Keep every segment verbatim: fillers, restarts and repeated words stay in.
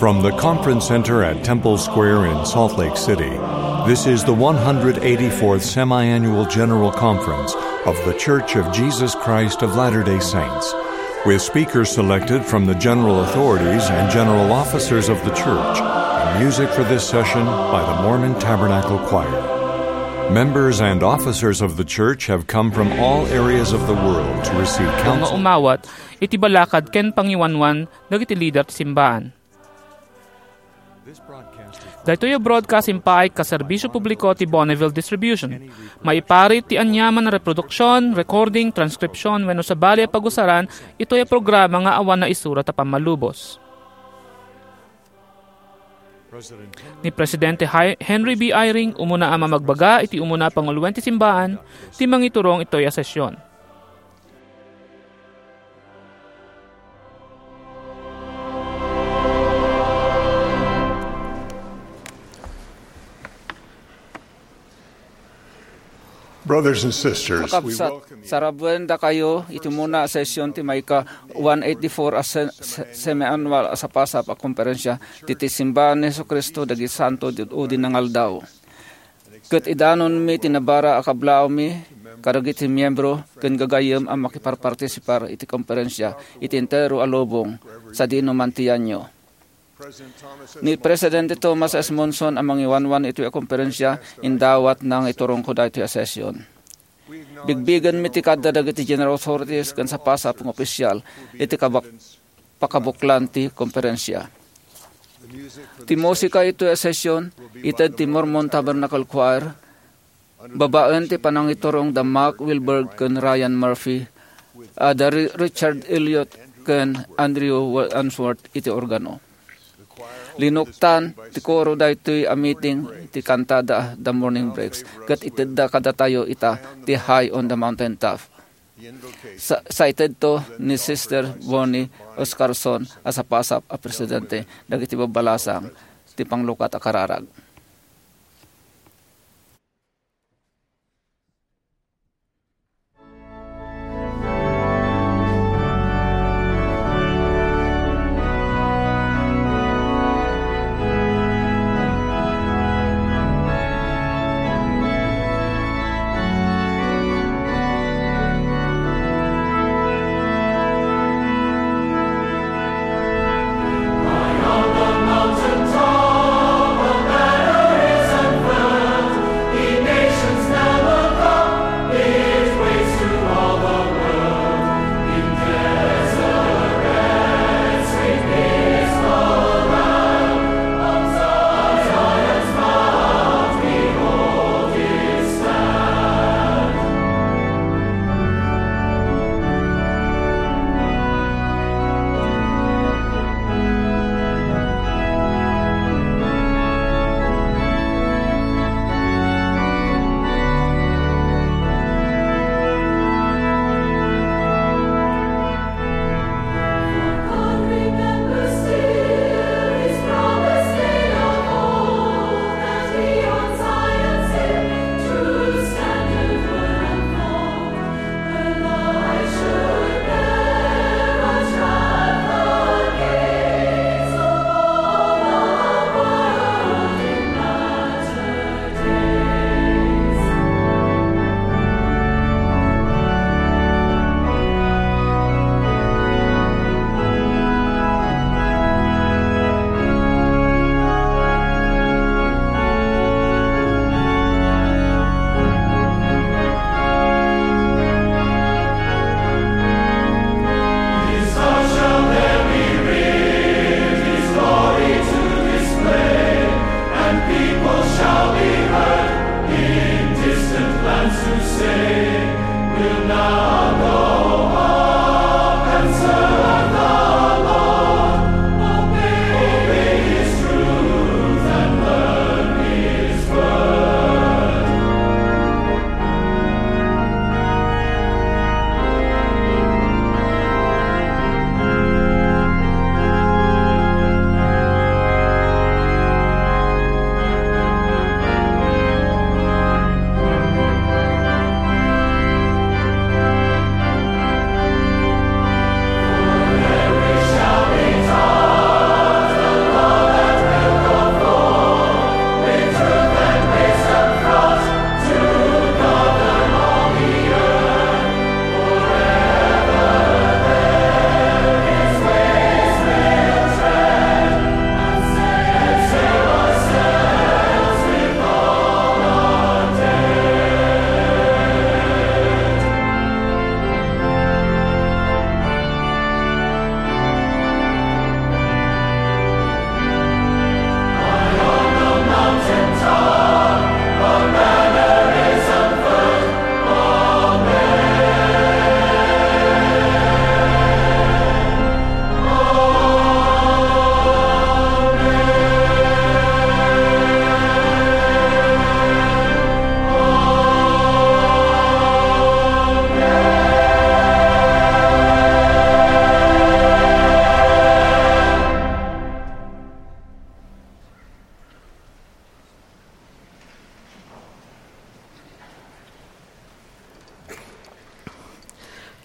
From the Conference Center at Temple Square in Salt Lake City, this is the one hundred eighty-fourth Semi-Annual General Conference of The Church of Jesus Christ of Latter-day Saints, with speakers selected from the general authorities and general officers of the church, and music for this session by the Mormon Tabernacle Choir. Members and officers of the church have come from all areas of the world to receive counsel. Nga umawat iti balakad ken pangiwanwan dagiti lider ti simbaan. Daytoy a broadcast impaay kas serbisyo publiko ti Bonneville Distribution. Maiparit ti aniaman a reproduksion, recording, transcription, wenno sabali a pagusaran itoy a programa nga awan naisurat a pammalubos. Ni Presidente Hi-, Henry B. Eyring umuna a mamagbaga iti umuna a panguloen ti simbaan ti mangiturong itoy a session. Brothers and sisters, we Kakabsat, welcome you. Sarabuen dakayo iti umuna a session ti maika one eighty-four a se-, se-, semi-annual a sapasap a konferensya ti, ti Simbahan ni Jesu-Cristo dagiti Santo ti Udi nga Aldaw. Ket idanonmi ti nabara a kablaawmi kadagiti miembro ken gagayyem a makiparpartisipar iti konferensya iti entero a lubong sadino man ti yanyo. Ni Presidente Thomas S. Monson a mangiwanwan itoy a konferensya, indawatna nga iturongko daytoy a session. Bigbigenmi ti kada dagiti general authorities ken sapasap nga opisyal iti kabak-, pakabuklan ti konferensya. Ti musika itoy a session, ited ti Mormon Tabernacle Choir, babaen ti panangiturong da Mark Wilberg ken Ryan Murphy, a da Ri-, Richard Elliot ken Andrew Wa-, Unsworth iti organo. Linuktan ti koro daytoy a meeting ti kantada da Morning Breaks, ket itedda kadatayo ita ti High on the Mountain Top. Sa-, saitedto ni Sister Bonnie Oscarson a sapasap a presidente dagiti babbalasang ti panglukat a kararag.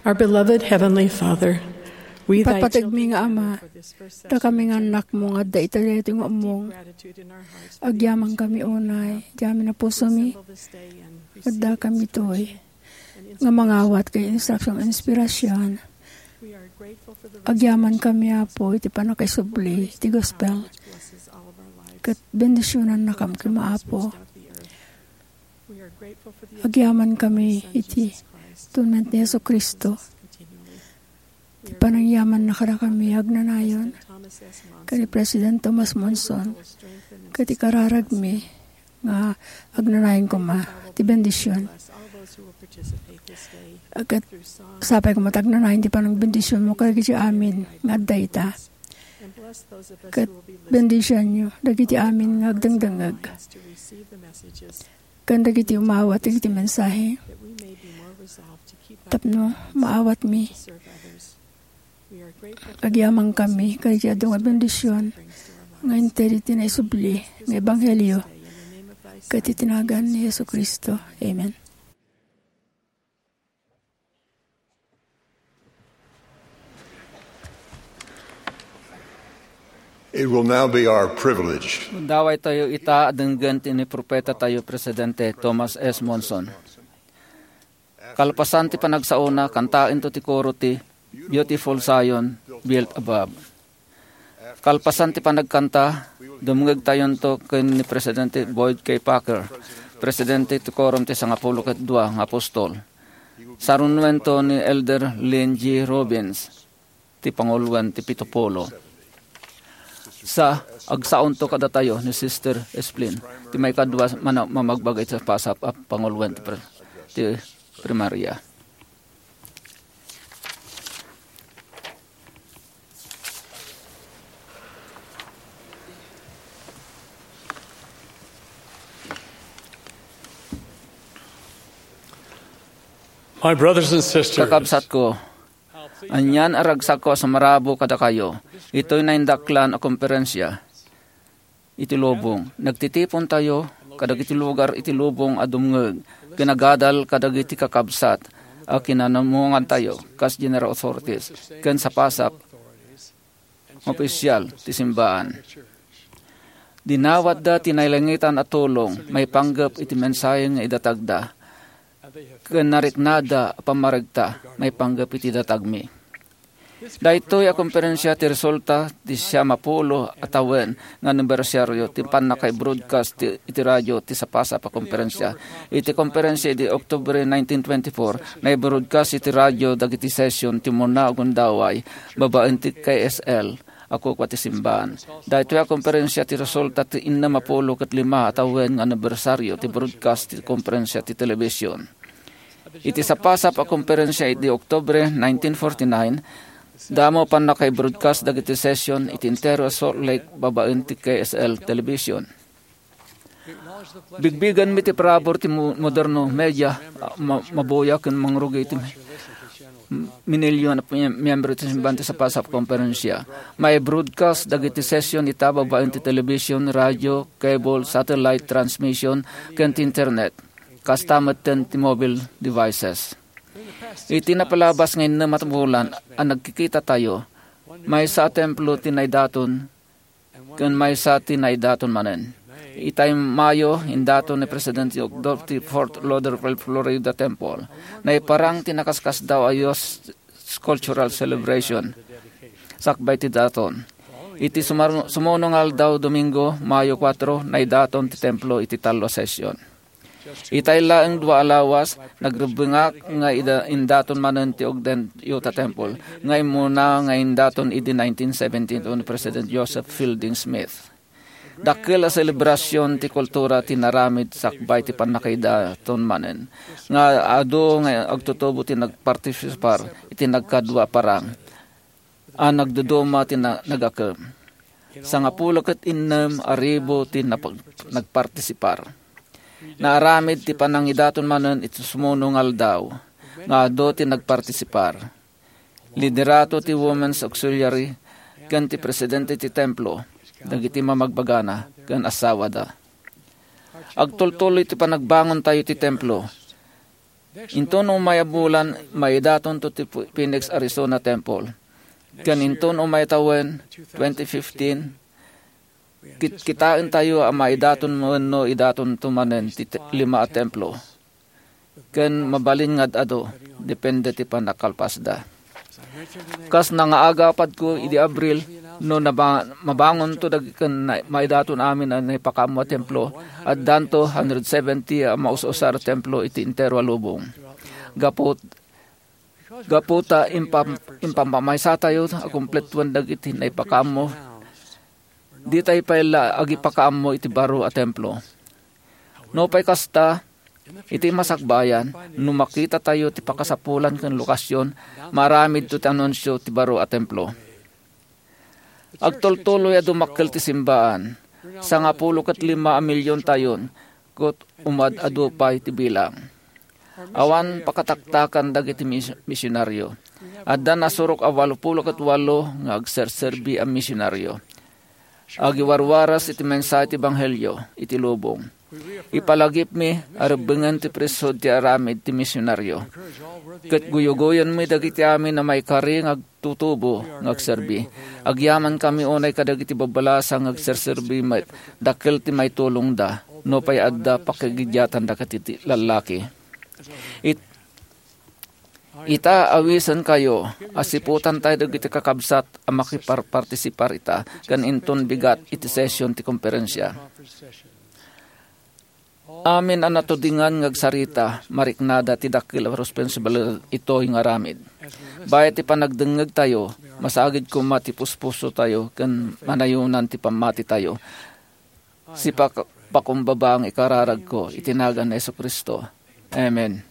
Our beloved Heavenly Father, we thy Patpategmi nga Ama, dakami nga annakmo nga adda ita daytoy nga ummong. Agyamankami unay, agyamankami a pusomi, addakami toy nga mangawat ken instruction, inspirasyon. Agyamankami, Apo, iti pannakaisubli iti gospel. Ket bendisionannakam koma, Apo. Agyamankami iti atonement ni Jesu-Cristo. Ti panangyamanna kadakami agnanayon, ken ni President Thomas Monson, ket ikararagmi nga agnanayon koma ti bendision. Ket sapay koma ti agnanayon ti panangbendisionmo kadagiti amin nga adda ita. Ket bendisionyo dagiti amin nga agdengdengngeg ken dagiti umawat dagiti mensahe tapno maawatmi. Agyamankami kadagiti adu nga bendision nga inted iti naisubli nga ebanghelio ket iti nagan ni Jesu-Cristo. Amen. It will now be our privilege. Dawaytayo ita a denggen ti ni propeta tayo, Presidente Thomas S. Monson. Kalpasan ti panagsaona, kantaento ti koro ti Beautiful Zion, Built Above. Kalpasan ti panagkanta, dumngegtayonto ken ni Presidente Boyd K. Packer, Presidente ti Quorum ti Sangapulo ket Dua nga Apostol. Sarunuento ni Elder Lynn G. Robbins, ti panguloen ti Pitupulo. Sa, agsaonto kadatayo ni Sister Esplin, ti maikadua mana-, mamagbaga iti pasap a panguloen ti pre-, ti primaria. My brothers and sisters, Kakabsatko, anian a ragsakko a sumarabo kadakayo, itoy naindaklan a komperensia iti lubong. Nagtitipontayo kadagiti lugar iti lubong a dumngeg ken agadal kadagiti kakabsat a kinanumongantayo kas general authorities ken sapasap nga opisyal ti simbaan. Dinawatda ti nailangitan a tulong maipanggep iti mensahe nga idatagda, ken nariknada a pammaregta maipanggep iti datagmi. Daytoy a komperensia ti resulta ti siamapulo a tawen nga anibersaryo ti pannakaibroadcast ti, iti radio ti sapasap a komperensia. Iti komperensia idi Oktubre nineteen twenty-four, naibroadcast iti radio dagiti session ti umuna a gundaway babaen ti K S L a kukua ti simbaan. Daytoy a komperensia ti resulta ti innem a pulo ket lima a tawen nga anibersaryo ti broadcast ti komperensia ti television. Iti sapasap a komperensia idi Oktubre nineteen forty-nine, damo pannakaibroadcast dagiti session iti entero a Salt Lake babaen ti K S L television. Bigbigenmi ti parabur ti mo-, moderno media, ah, ma-, mabuya ken mangrugi iti minilyon a miyembro ti simbaan ti sapasap a komperensia. Mai-broadcast dagiti session ita babaen ti television, radio, cable, satellite transmission, ken ti internet. Kasta metten ti mobile devices. Iti napalabas nga innem a bulan a nagkikitatayo, maysa a templo ti naidaton ken maysa ti naidaton manen. Itay Mayo, indaton ni President Ogdor ti Fort Lauderdale, Florida Temple. Naiparang ti nakaskasdaaw a Youth Cultural Celebration sakbay ti daton. Iti sumar-, sumuno nga aldaw, Domingo, Mayo kuatro, naidaton ti templo iti tallo a session. Itay laeng dua a lawas, nagrebbengak nga ida-, indaton manen ti Ogden Utah Temple, nga immuna nga indaton idi nineteen seventy-two ni President Joseph Fielding Smith. Dakkel a selebrasion ti kultura ti naramid sakbay ti pannakaidaton manen, nga adu nga agtutubo ti nagpartisipar iti nagkadua a parang a nagduduma ti na-, nagakem. Sangapulo ket innem a ribu ti napag-, nagpartisipar. Naaramid ti panangidaton manen iti sumuno nga aldaw nga adu ti nagpartisipar. Liderato ti Women's Auxiliary ken ti presidente ti templo, dagiti mamagbagana ken asawada. Agtultuloy ti panagbangontayo ti templo. Inton umay a bulan, maidatonto ti Phoenix, Arizona Temple. Ken inton umay tawen, twenty fifteen, kit-, kitaentayo a maidaton wenno idatonto manen ti te-, lima a templo. Ken mabalin nga ad-adu, depende ti pannakakalpasda. Kas nangaagapadko idi Abril, no naba-, mabangonto dag-, ken na-, maidaton amin a naipakaammo a templo, addanto hundred seventy a maus-usar a templo iti entero a lubong. Gapu, gapu ta impam-, impampamaysatayo a kumpletuen dagiti naipakaammo, ditay pay la agipakaammo iti baro a templo. Nupay kasta, iti masakbayan, no makitatayo ti pakasapulan ken lokasyon, maaramidto ti anunsio ti baro a templo. Agtultuloy a dumakkel ti simbaan. Sangapulo ket lima a miliontayon, ket umad-adu pay ti bilang. Awan pakataktakan dagiti mis-, misionaryo. Adda nasurok a walupulo ket walo nga agserserbi a misionaryo. Agiwarwaras iti mensahe ti ebanghelio iti lubong. Ipalagipmi a rebbengen ti priesthood ti aramid ti misionaryo. Ket guyugoyenmi dagiti amin a maikari nga agtutubo nga agserbi. Agyamankami unay kadagiti babbalasa nga agserserbi met, dakkel ti maitulongda, nupay adda pakigiddiatanda kadagiti lallaki. It-, ita, awisenkayo a siputantayo dagiti kakabsat a makiparpartisipar ita ken inton bigat iti session ti komperensia. Amin a natudingan nga agsarita, mariknada ti dakkel a responsibilidad itoy nga aramid. Bayat ti panagdengngegtayo, masagid koma ti puspusotayo ken manayonan ti pammatitayo. Sipak-, pakumbaba nga ikararagko iti nagan ni Jesu-Cristo. Amen.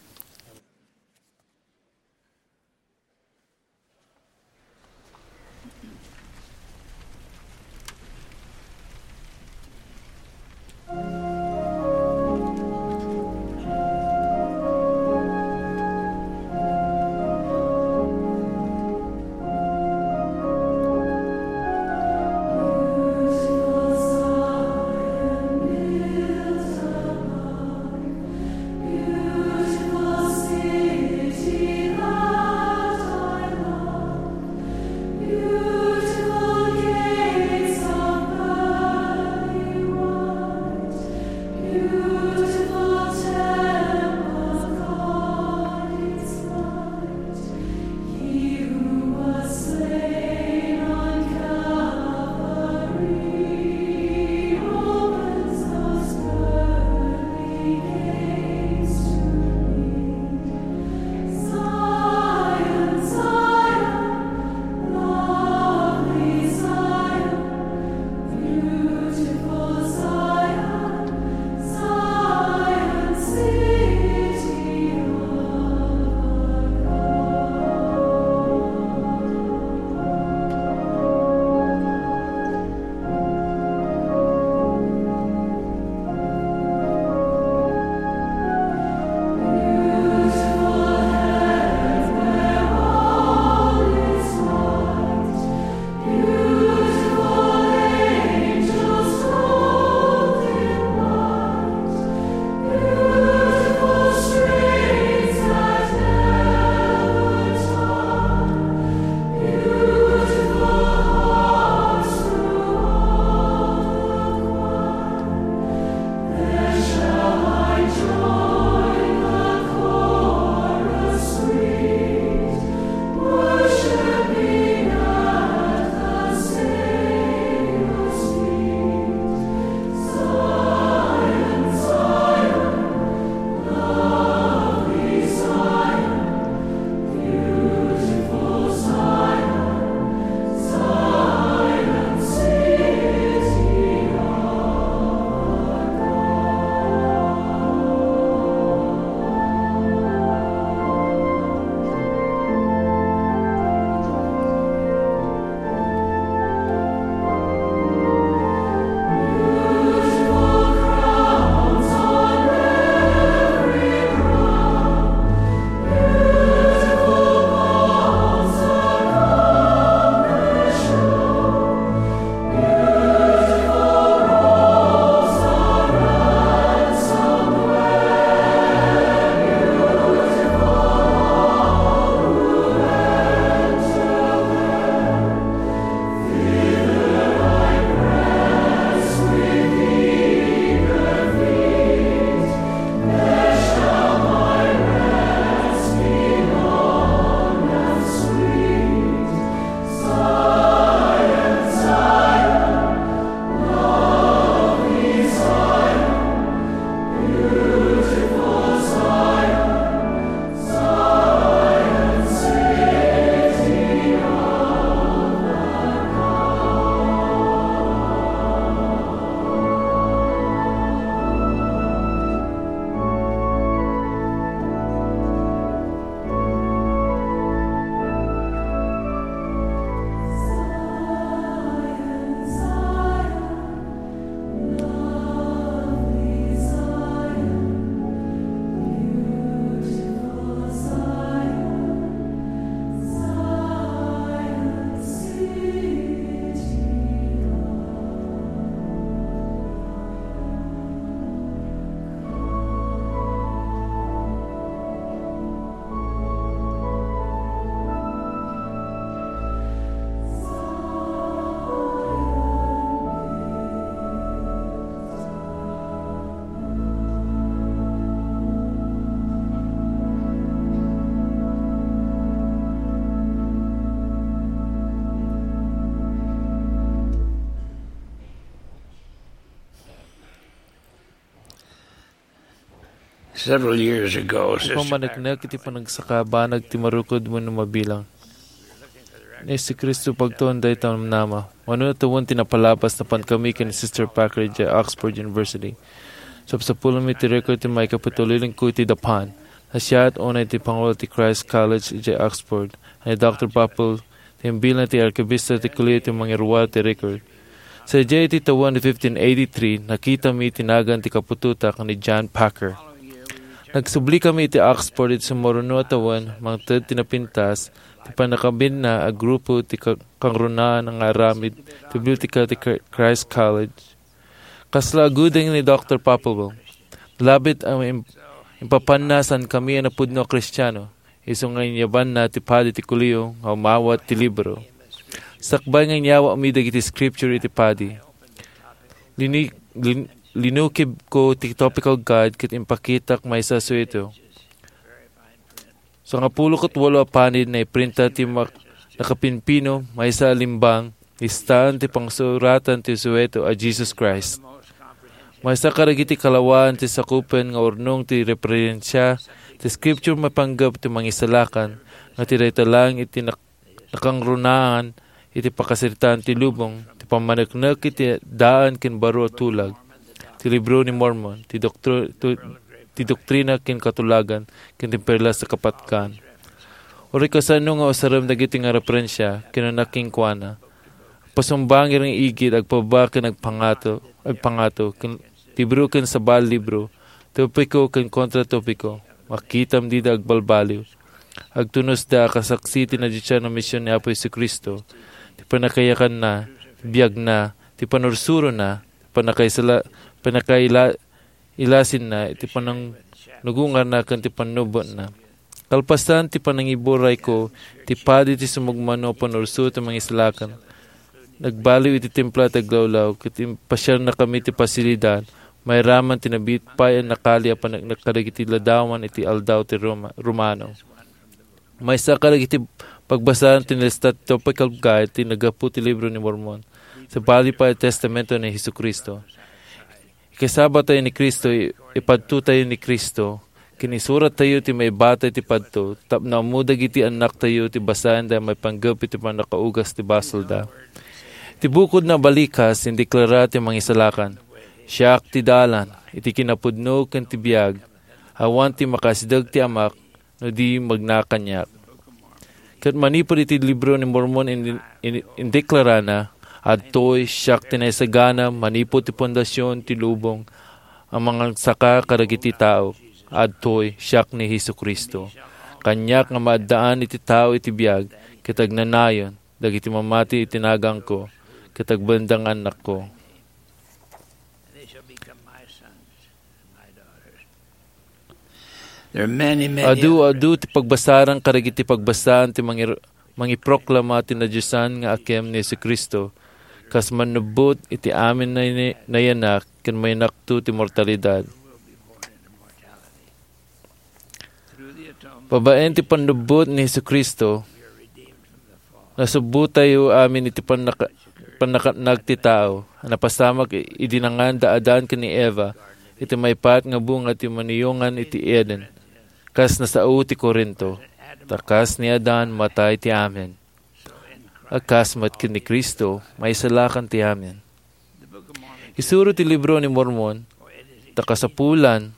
Several years ago, Sister Pamaneknek iti panagsaka banag ti marukod wenno mabilang. Ni Jesu-Cristo pagtuon dayta namnama. Mano tawen ti napalabas napan kami ken Sister Packer idiay Oxford University. Sapsapulmi ti record ti maikapitulilingko iti dapan. Nasiat unay ti pangulo ti Christ College idiay Oxford, ni Doctor Papel, ti imbilang ti arkibista ti Kolehio ti mangiruar ti record. Sadiay iti tawen fifteen eighty-three, nakitami ti nagan ti kaputotak ni John Packer. Nagsubli kami iti Oxford iti sumuruno a tawen, mangted ti napintas ti pannakabinna a grupo ti ka-, kangrunaan nga aramid ti biblioteka ti Chr-, Christ College. Kasla agudeng ni Doctor Papelwell. Labit a im-, impapanna saan kami a napudno a Kristiano. Isu nga inyabanna ti padi ti Kolehio nga umawat ti libro. Sakbay nga inyawatmi dagiti scripture iti padi, lini-, lin-, linukibko ti topical guide ket impakitak maysa a sueto. Sangapulo ket walo a panid naiprinta ti mak-, nakapimpino, maysa a limbang, listaan ti pangsuratan ti sueto a Jesus Christ. Maysa kadagiti kalawaan ti sakupen nga urnong ti referensia ti scripture maipanggep ti mangisalakan nga ti dayta laeng iti nak-, nakangrunaan iti pakasaritaan ti lubong, ti pammaneknek iti daan ken baro a tulag, ti Libro ni Mormon, ti doktri-, tu-, ti doktrina ken katulagan, ken ti perlas a kapatkan. Uray kasano nga usarem dagiti nga referensia, kinuna kenkuana, pasumbangir nga igid, agpababa ken agpangato, agpangato, ken libro ken sabali libro, topiko ken kontratopiko, makitam dida agbalbaliw. Agtunosda a kasaksi ti nadisian a mision ni Apo Jesu-Cristo, ti pannakayakanna, ti biagna, ti panursurona, ti pannakaisala-, pannakaila-, ilasinna, iti panangnugungarna ken ti pannubbotna. Kalpasan ti panangiburayko, ti padi ti sumagmamano a panursuro ti mangisalakan, nagbaliw iti templo ti aglawlaw, ket impasiarnakami ti pasilidad, mairaman ti nabiit pay a nakali a paneknek kadagiti ladawan iti aldaw ti Roma-, Romano. Maysa kadagiti pagbasaan ti nalista ti topical guide ti naggapu ti Libro ni Mormon, sabali pay a testamento ni Jesu-Cristo. Ikasabatayo ni Cristo, i-, ipadtotayo ni Cristo, ken isurattayo ti maibatay ti padto, tapno ammo dagiti annaktayo ti basaenda maipanggep iti pannakaugas ti basolda. Ti bukod na balikas, indeklara ti Mangisalakan, "Siak ti dalan, iti kinapudno ken ti biag, awan ti makasideg ti Amak, no di magna kaniak." Ket manipud iti Libro ni Mormon, in-, in-, indeklarana, "Adtoy, siak ti naisagana manipud ti pundasion ti lubong a mangagsaka kadagiti tao. Adtoy, siak ni Jesu-Cristo. Kaniak nga maaddaan iti tao iti biag, ket agnanayon dagiti mamati iti naganko, ket agbendangan annakko." There are many, many Adu, others. Adu ti pagbasaran kadagiti pagbasaan ti mangir-, mangiproklama ti nadiosan nga akem ni Jesu-Cristo, kas mannubbot iti amin nay-, nayanak ken mayanakto ti mortalidad. Babaen ti pannubbot ni Jesu-Cristo, nasubbotayo amin iti pannaka-, pannakatnag ti tao a napasamak i-, idi nangan da Adan ken ni Eva iti maipaat nga bunga ti maniyongan iti Eden, kas nasao ti Corinto, ta kas ni Adan, matay ti amin. A kas met ken ni Cristo, maisalakan ti amin. Isuro ti Libro ni Mormon, ta kasapulan,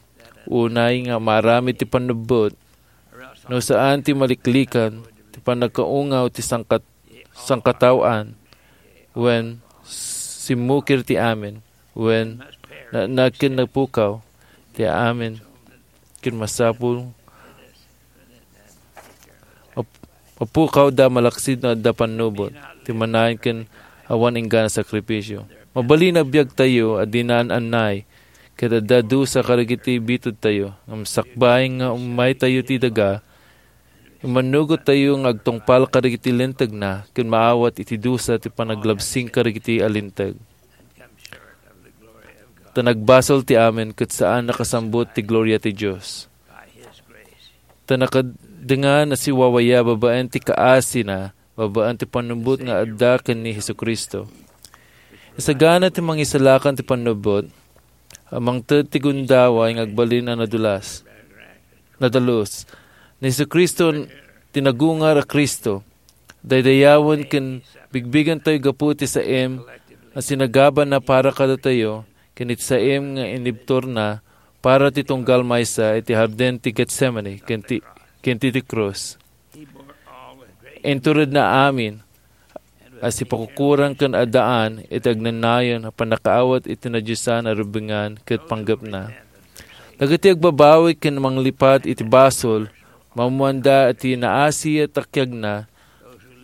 unay nga maaramid ti pannubbot, no saan ti maliklikan ti pannakaungaw ti sangkat-, sangkataoan, wen simmukir ti amin, wen na-, nagken napukaw ti amin, ken masapul map-, mapukawda malaksid no adda pannubbot ti manayon ken awan inggana sakripisio. Mabalin a biagtayo a dinan annay, ket adda dusa kadagiti bitudtayo, ngem sakbay nga ummaytayo ti daga, immannugottayo nga agtungpal kadagiti lintegna ken maawat iti dusa ti panaglabsing kadagiti a linteg. Ta nagbasol ti amin ket saan nakasambut ti gloria ti Dios. Ta nakadengan a siwawaya babaen ti kaasina, babaen ti pannubbot nga adda ken ni Jesu-Cristo. Isagana ti mangisalakan ti pannubbot, a mangted ti gundaway nga agbalin a nadulas. nadalus. Ni Jesu-Cristo ti nagungar a Cristo. Daydayawen ken bigbigentayo gapu ti saem a sinagabana para kadatayo ken iti saem nga inibturna para ti tunggal maysa iti Hardin ti Getsemani ken ti, ken ti, ti krus. Inturedna amin a sipakukurang ken addaan iti agnanayon a pannakaawat iti nadiosan a rubengan ket panggepna. Dagiti agbabawi ken manglipat iti basol, maammoanda ti naasi a takiagna,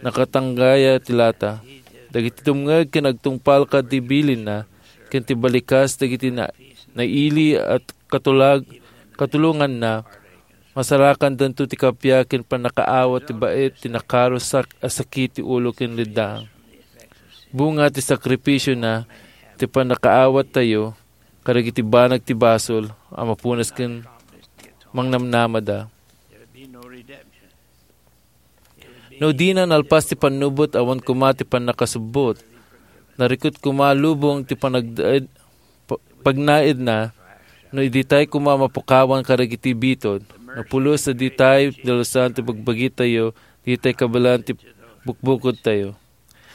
nakatanggaya ti lata. Dagiti dumngeg ken agtungpal kadagiti bilinna, ken ti balikas dagiti na-, naili a katulag-, katulonganna, masarakandanto ti kappia ken pannakaawat ti bait ti nakarusak a sakit ti ulo ken leddang. Bunga ti sakripisiona ti pannakaawattayo kadagiti banag ti basol a mapunas ken mangnamnamada. No dina nalpas ti pannubot awan koma ti pannakasubbot, narikut koma lubong ti panagdaed-, pa-, pagnaedna, no iditay koma mapukawan kadagiti bitud, no pulos a ditay dalusan ti bagbagitayo, ditay kabaelan ti bukbukodtayo.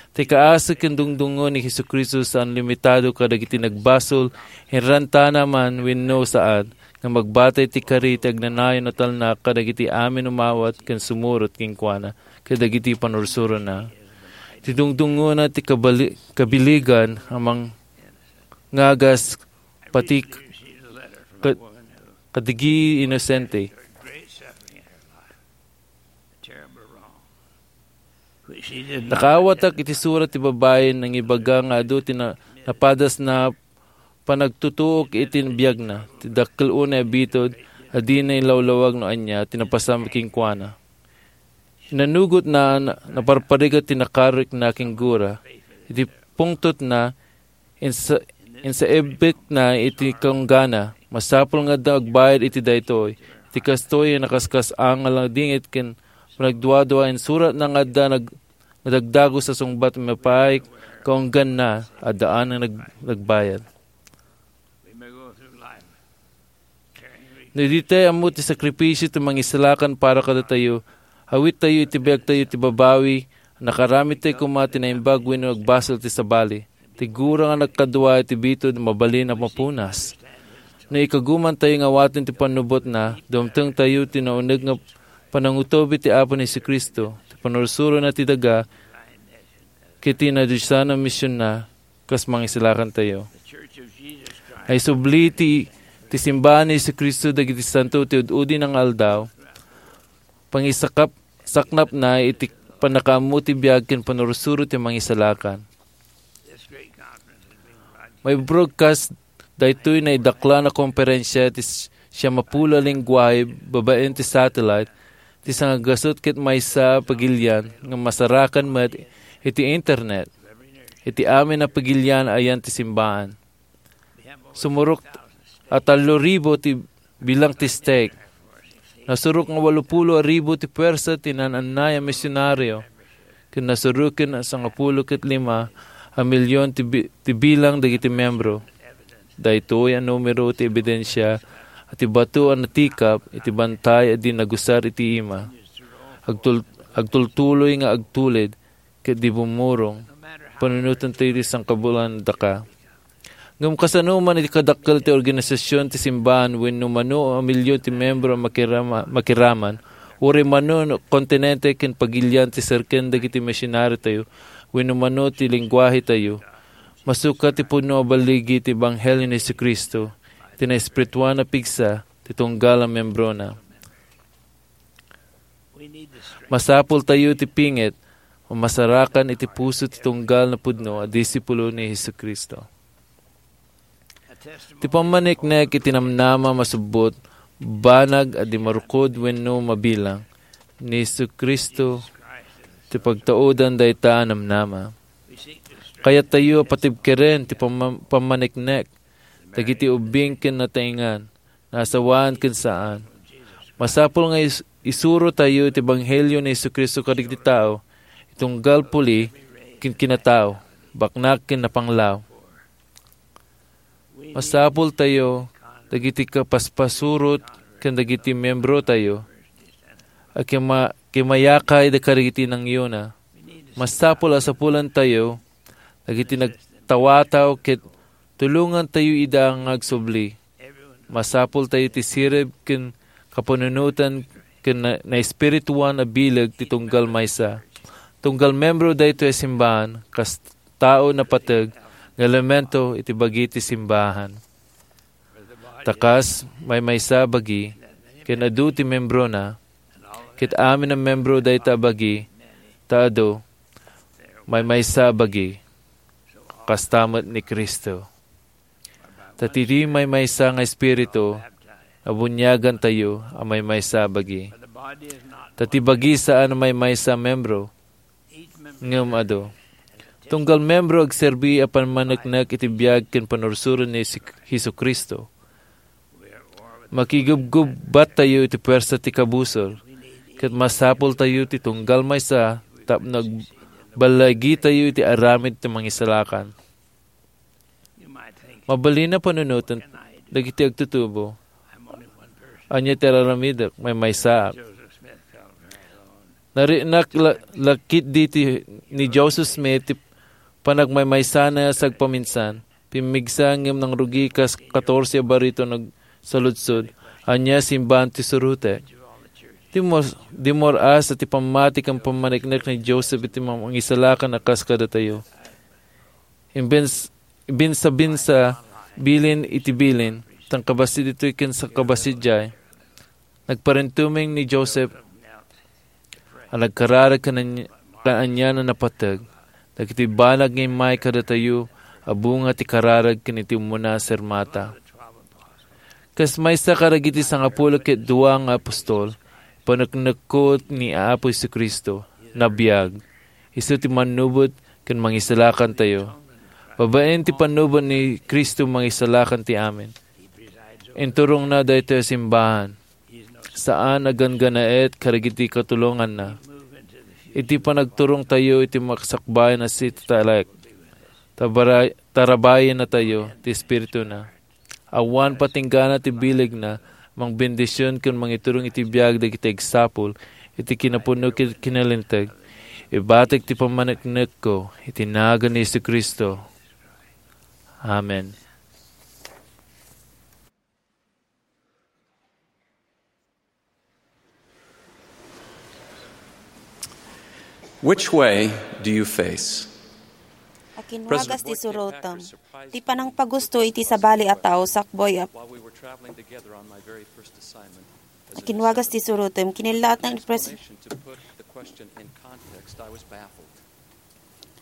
Ti kaasi ken dungdungngo ni Jesu-Cristo saan limitado kadagiti nagbasol, inrantana man wenno saan, nga magbati iti kari ti agnanayon a talna kadagiti amin umawat ken sumurot kenkuana kadagiti panursurona. Ti dungdungngona ti kabali-, kabiligan a mangngagas pati ka-, kadagiti inosente. Nakaawatak iti surat ti babai nangibaga nga adu ti na-, napadasna panagtutuok iti biagna, ti dakkel unay a bitud a dina ilawlawag no ania ti napasam kenkuana. Inanugotna, na-, naparparigat ti nakarikna ken gura. Iti pungtotna, insa-, insaebbekna iti kaunggana. Masapul nga adda agbayad iti daytoy. Iti kastoy, nakaskas-ang a langdingit ken panagduadua, insuratna nga adda nag-, nadagdagus a sungbat mapay kaungganna, addaan nga nag-, nagbayad. No idi tayo ammo ti sakripisio ti mangisalakan para kadatayo, awittayo iti biagtayo ti babawi, nakaramidtayo koma ti naimbag wenno agbasol ti sabali. Ti gura nga nagkadua iti bitud, mabalin a mapunas. No ikagumantayo nga awaten ti pannubotna, dumtengtayo ti nauneg nga panangutob iti Apo ni Jesu-Cristo, ti panursurona ti daga, ket ti nadiosan a misionna, kas mangisalakantayo. Ay subli ti, ti simbahan ni Jesu-Cristo dagiti santo ti ud-udi nga aldaw, pangisakap-, saknapna iti pannakaammo ti biag ken panursuro ti mangisalakan. Mai-broadcast daytoy naidaklan a komperensia ti s-, siamapulo a lengguahe babaen ti satellite, ti sangagasut ket maysa a pagilian nga masarakan met iti internet. Iti amin a pagilian ayan ti simbahan. Sumurok a tallo ribu ti bilang ti stake. Nasurok nga walopulo a ribu ti puwersa ti naan-annay a misionario, ken nasuroken a sangapulo ket lima a milyon ti bi-, ti bilang dagiti membro. Daytoy a numero ti ebidensia a ti bato a natikap iti bantay a di nagusar iti ima. Agtul-, agtultuloy nga agtulid ket di bumurong, panunoten ti sangkabulan daka. Ngem kasano man iti kadakkel ti organisasyon ti simbahan wenno mano a milyon ti membro a makirama-, makiraman, uray mano no kontinente ken pagilian ti serken dagiti misionaritayo wenno mano ti lengguahetayo, masukat ti pudno a balligi ti ebanghelio ni Jesu-Cristo, ti naespirituan a pigsa ti tunggal a membrona. Masapultayo ti pinget a masarakan iti puso ti tunggal a pudno a disipulo ni Jesu-Cristo. Ti pammaniknek iti namnama masubbot, banag a di marukod wenno mabilang, ni Jesu-Cristo ti pagtaudan dayta a namnama. Kayattayo a patibkeren ti pamma-, pammaniknek dagiti ubbing ken nataengan, naasawaan ken saan. Masapul nga is-, isurotayo ti ebanghelio ni Jesu-Cristo kadagiti tao, itunggal puli ken kinatao, baknak ken napanglaw. Masapultayo dagiti kapaspasurot ken dagiti membrotayo a kima-, kimayakay da kadagiti nangyona. Masapul a sapulantayo dagiti nagtawataw ket tulongantayo ida nga agsubli. Masapultayo ti sirib ken kapanunotan ken na-, naespirituan a bileg ti tunggal maysa. Tunggal membro daytoy a simbahan, kas tao napateg nga elemento iti bagi ti simbahan. Ta kas maymaysa a bagi, ken adu ti membrona, ket amin a membro dayta a bagi, ta adu, maymaysa a bagi, kasta met ni Cristo. Ta ti maymaysa nga Espiritu, nabuniagantayo a maymaysa a bagi. Ta ti bagi saan a maymaysa a membro, ngem adu. Tunggal membro agserbi a pammaneknek iti biag ken pannursuro ni Jesu-, Jesu-Cristo. Makigubgubbattayo iti puwersa ti kabusor, ket masapultayo ti tunggal maysa tapno agballagitayo iti aramid ti mangisalakan. Mabalin a panunoten dagiti agtutubo. Ania ti ar-aramidek? Maymaysaak. Narinak la-, la ketdi ti, ni Joseph Smith ti panagmaymaysana sagpaminsan. Pimmigsa ngem nangrugi kas katorse a barito nagsaludsod. Ania, simbahan ti surotek? Di mor-, di mor-as ti pammati ken pammaneknek ni Joseph iti mangisalakan a kas kadatayo. Imbens-, imbinsa-binsa, bilin iti bilin, tan kabasi ditoy ken sa-, kabasi diay. Nagparintumeng ni Joseph a nagkararag kan-, kaan-anian a napateg dagiti banag nga immay kadatayo a bunga ti kararag ken iti umuna a sermata. Kas maysa kadagiti sangapulo ket dua nga apostol, paneknekko ni Apo Jesu-Cristo, nabiag. Isu ti mannubot ken mangisalakantayo. Babaen ti pannubot ni Cristo, mangisalakan ti amin. Inturongna daytoy a simbahan. Saan a ganggannaet kadagiti katulonganna. Iti panagturongtayo iti makasakbayan a City Talek, tabara-, tarabayennatayo ti Espirituna. Awan patinggana ti bilegna, mangbendision ken mangiturong iti biag dagiti agsapul iti kinapuno ken kinalinteg. Ibatik ti pammaneknekko iti nagan ni Jesu-Cristo. Amen. Which way do you face? Akinwagas ti surotem. Ti panangpagusto iti sabali a tao sakbay a While we were traveling together on my very first assignment as a Akinwagas ti surotem. Kinilaat ng pres- Explanation to put the question in context, I was baffled.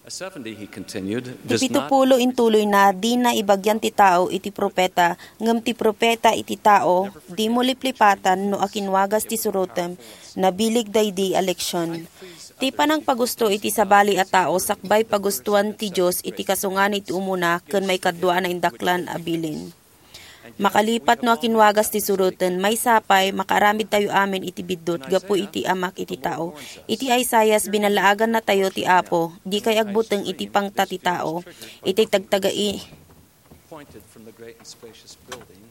A seventy, he continued, Ti does not pitupulo intuloyna, dina ibagian ti tao iti propeta, ngem ti propeta iti tao, dimo liplipatan no akinwagas ti surotem, nabileg daydi a leksion. Ti panangpagusto iti sabali a tao sakbay pagustoan ti Dios iti kasungan iti umuna ken maikadua a naindaklan a bilin. Makalipat no akinwagas ti suroten, maysa pay, makaaramidtayo amin iti biddut gapu iti Amak iti tao. Iti Isaias, binalaagannatayo ti Apo, dikay agbuteng iti pangta ti tao. Iti tagtagai, Pointed from the great and spacious building,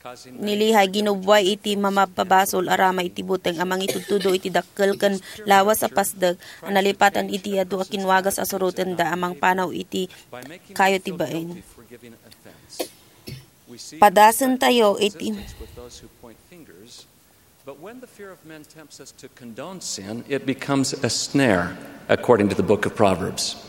causing ni Lehi, ginubbuay iti mamabpabasol a rama iti buteng a mangitudtudo iti dakkel ken lawas a pasdek a nalipatan iti adu a kinwagas a surotenda a mangpanaw iti kayo ti bain. Padasentayo iti But when the fear of men tempts us to condone sin, it becomes a snare, according to the book of Proverbs.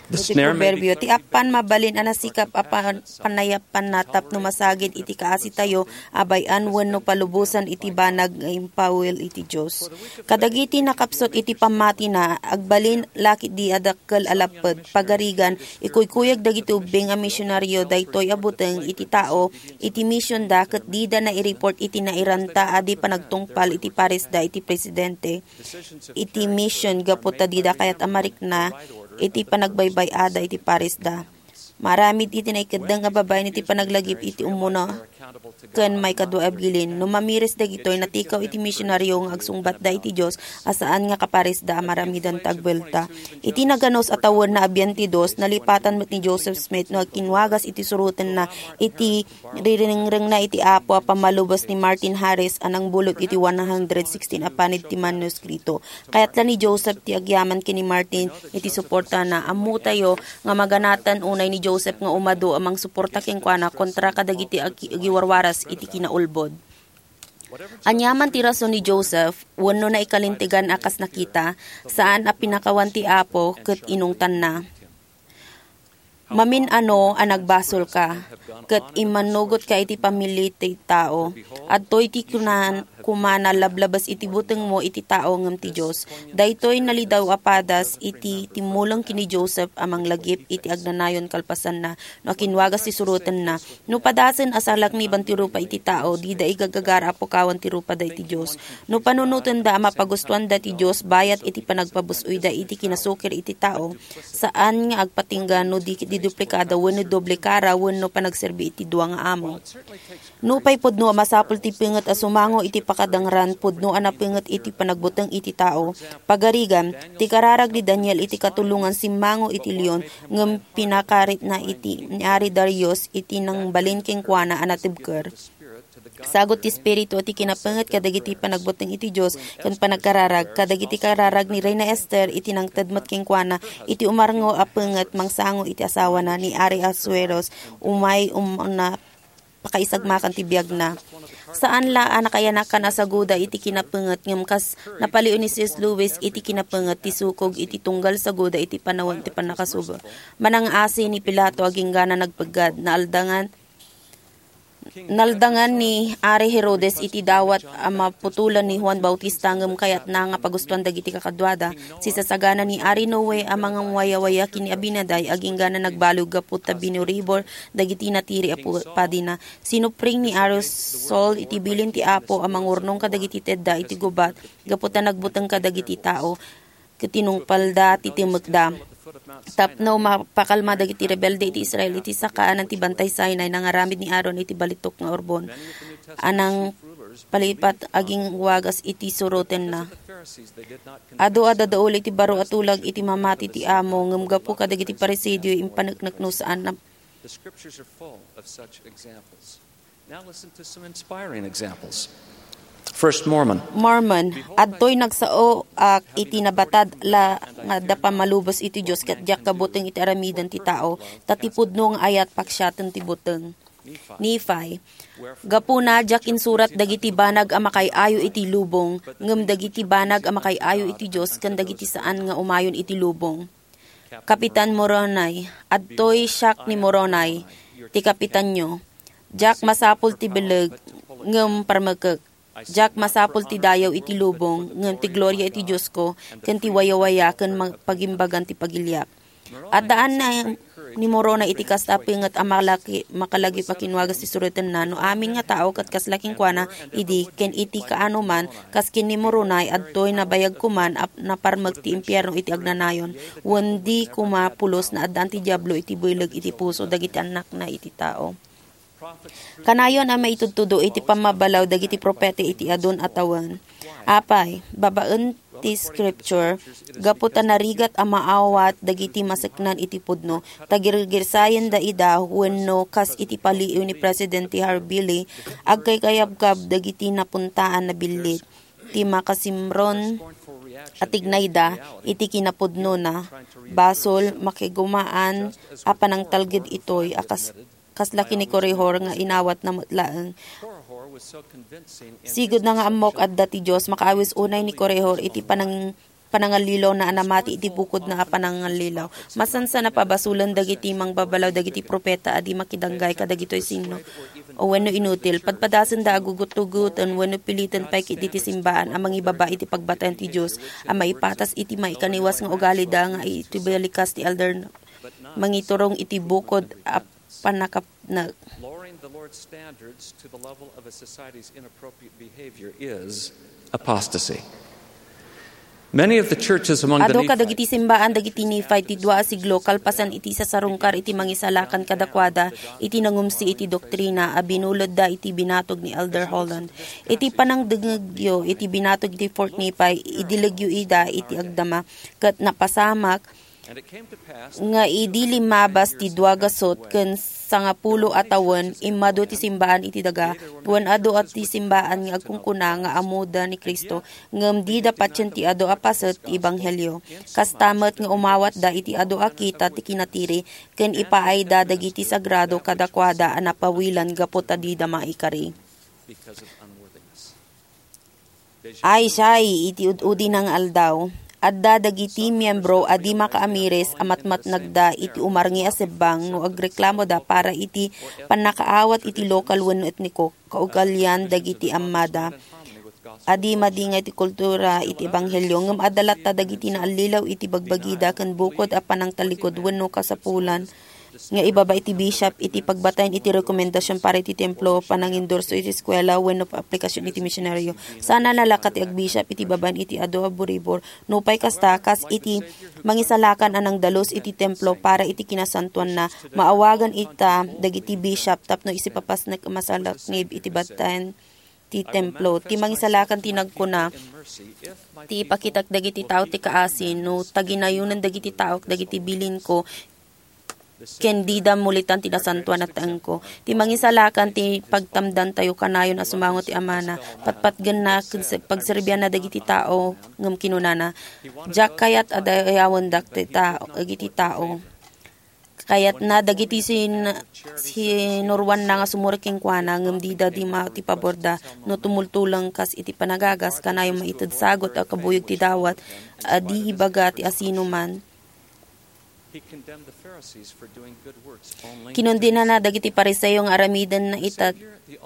The Iti snare may be Proverbio, ti appan mabalin a nasikap a pan-, panayapanna tapno masagid iti kaasitayo a bay-an wenno palubosan iti banag nga impawil iti Dios. Kadagiti nakapsut iti pammatina, agbalin la ketdi a dakkel a lapped, pagarigan, ikuykuyag dagiti ubbing a misionaryo daytoy a buteng iti tao iti misionda ket dida naireport iti nairanta a di panagtungpal iti parisda iti presidente iti mision gapu ta dida kayat a marikna iti panagbaybay-ada iti parisda. Maaramid iti naikeddeng a babaen iti panaglagip iti umuna ken maikadua a bilin. No mamiris dagitoy, natikaw iti misionario nga agsungbatda iti Dios a saan nga kaparisda a maramidan ti agbuelta. Iti naganus a tawenna a bienti dos, nalipatan met ni Joseph Smith no agkinwagas iti surotenna iti riringrengna iti Apo a pammalubos ni Martin Harris a nangbulod iti one hundred sixteen a panid ti manuskrito. Kayatla ni Joseph ti agyaman ken ni Martin iti suportana. Ammotayo nga maganatan unay ni Joseph nga umadu a mangsuporta kenkuana kontra kadagiti agi-, agiwarwaras iti kinaulbod. Aniaman ti rason ni Joseph, wenno naikalintegan a kas nakita, saan a pinakawan ti Apo ket inungtanna. Mamin-ano a nagbasolka, ket immannugotka iti pamili ti tao. Adtoy ti kunan-, kumana lablabas iti butengmo iti tao ngem ti Dios. Daytoy nalidaw a padas iti timmuleng ken ni Joseph a manglagip iti agnanayon kalpasanna no akinwagas ti surotenna. No padasen a salakniban ti rupa iti tao, dida igagagara a pukawan ti rupada iti Dios. No panunotenda a mapagustuanda ti Dios bayat iti panagpabus-oyda iti kinasukir iti tao, saan nga agpatingga no di, di duplikada wenno doble kara wenno panagserbi iti dua nga amo. Nupay pudno a masapul ti penget a sumango iti pakadangran, pudno a napenget iti panagbuteng iti tao. Pagarigan, ti kararag ni Daniel iti katulongan simmango iti leon, ngem pinakaritna iti ni Ari Darius iti nangbalin kenkuana a natibker. Sagut ti Espiritu ti kinapenget kadagiti panagbuteng iti Dios ken panagkararag, kadagiti kararag ni Reina Esther iti nangted met kenkuana iti umarngo a penget mangsango iti asawana ni Ari Asueros, umay umna pakaisagmakan ti biagna. Saan la a nakayanakan a saguda iti kinapenget ngem kas napalio ni C S Lewis iti kinapenget ti sukog iti tunggal saguda iti panawen ti pannakasubo. Manang-asi ni Pilato agingga nagpeggad, naaldangan Naldangan ni Ari Herodes iti dawat a maputolan ni Juan Bautista ngem kayatna nga pagustuan dagiti kakaduada. Sisasagana ni Ari Noe a mangwayawaya ken ni Abinadi agingga nagbalog gapu ta binuribor dagiti natiri a pu-, padina. Sinupring ni Ari Saul iti bilin ti Apo a mangurnong kadagiti tedda iti gubat gapu ta nagbuteng kadagiti tao ket tinungpalda ti timekda. Tapno mapakalma dagiti rebelde iti Israel iti sakaanan ti Bantay Sinai, nangaramid ni Aaron iti balitok nga urbon a nangpalipat agingwagas iti surotenna. Adu a dadaul iti baro a tulag iti mamati ti amo, ngem gapu kadagiti Fariseo, impaneknek no saan a The scriptures are full of such examples. Now listen to some inspiring examples. First Mormon. Mormon, adtoy nagsaoak iti nabatad la nga adda pammalubos iti Dios ket diak kabuteng iti aramiden ti tao, ta ti pudno nga ayat paksiaten ti buteng. Nephi, gapuna diak insurat dagiti banag a makaay-ayo iti lubong, ngem dagiti banag a makaay-ayo iti Dios ken dagiti saan nga umayon iti lubong. Kapitan Moroni, adtoy siak ni Moroni, ti kapitanyo. Diak masapul ti bileg, ngem parmekek. Diak masapul ti dayaw iti lubong, ngem ti gloria iti Diosko, ken ti wayawaya ken ma-, pagimbagan ti pagiliak. Addaan na ni Moroni iti kasta a penget a makalaki-, makalagip a kinwagas ti surotenna, no amin nga tao ket kasla kenkuana idi, ken iti kaanoman, kas ken ni Moroni, adtoy nabayag koman a naparmek ti impierno iti agnanayon, wen di koma pulos naaddaan ti Diablo iti bileg iti puso dagiti annakna iti tao. Kanayon a maitudtudo iti pammabalaw dagiti propeta iti adun a tawen. Apay, babaen ti Scripture, gapu ta narigat a maawat dagiti maseknan iti pudno, ta girgirsayenda ida wenno kas iti palio ni Presidente Harvey Lee, agkaykayabkab dagiti napuntaan a billit ti makasimron a tignayda iti kinapudnona. Basol, makigumaan a panangtalged itoy a kas-, kasla ken ni Korihor nga inawatna met laeng. Sigud na nga ammok adda ti Dios, makaawis unay ni Korihor iti panang-, panangallilawna a namati iti bukodna a panangallilaw. Masansan a pabasolen dagiti mangbabalaw dagiti propeta a di makidanggay kadagitoy sinno o wenno inutil. Padpadasenda a gugutgugoten wenno piliten pay ketdi ti simbaan a mangibaba iti pagbatayan ti Dios a maipatas iti maikaniwas nga ugalida nga iti balikas ti elder mangiturong iti bukod a pannakapnag. Lowering the Lord's standards to the level of a society's inappropriate behavior is apostasy. Many of the churches among the Adu Nephites kadagiti simbaan dagiti Nephi ti dua a siglo kalpasan iti sasarungkar iti mangisalakan kadakuada iti nangumsi iti doktrina a binulodda iti binatog ni Elder Holland. Iti panangdengngegyo iti binatog iti Fort Nephi, idilegyo ida iti agdama, ket napasamak nga idi limmabas ti dua gasut ken sangapulo a tawen, immadu ti simbaan iti daga, wen adu a ti simbaan nga agkunkuna nga ammoda ni Cristo, ngem dida patien ti adu a paset ti ebanghelio. Kasta met nga umawatda iti adu a kita ti kinatiri, ken ipaayda dagiti sagrado kadakuada a napawilan gapu ta dida maikari. Ay, siay, iti ud-udina nga aldaw, adda dagiti miembro a di makaamiris a matmatnagda iti umarngi a sebbang no agreklamoda para iti pannakaawat iti lokal wenno etniko, kaugalian dagiti ammada a di madingay ti kultura iti ebanghelio, ngem adda latta dagiti naallilaw iti bagbagida ken bukod a panangtallikod wenno kasapulan nga ibaba iti bishop iti pagbatayen iti rekomendasion para iti templo, panangindorso iti eskuela, wenno aplikasyon iti misionaryo. Saan a nalaka ti agbishop iti babaen iti adu a buribor. Nupay kasta, kas iti mangisalakan a nangdalus iti templo para iti kinasantoanna, maawagan ita dagiti bishop tapno isipapasnek a masalaknib iti bataen ti templo. Ti mangisalakan ti nagkuna, ti ipakitak dagiti tao ti kaasi, no taginayonen dagiti taok dagiti bilinko, ken dida mulitan ti nasantoan a taengko. Ti mangisalakan ti pagtamdantayo kanayon a sumango ti amana, patpatgenna ken se-, pagserbianna dagiti tao, ngem kinunana, "Diak kayat a dayawendak ti tao, dagiti tao." Kayatna dagiti sin-, sinuroanna nga sumurek kenkuana, ngem dida dima ti paborda. No tumultulang kas iti panagagas, kanayon maited sagut a kabuyog ti dawat a di ibaga ti asinoman. He condemned the Pharisees for doing good works only. Kinundenana dagiti Fariseo nga aramiden ita,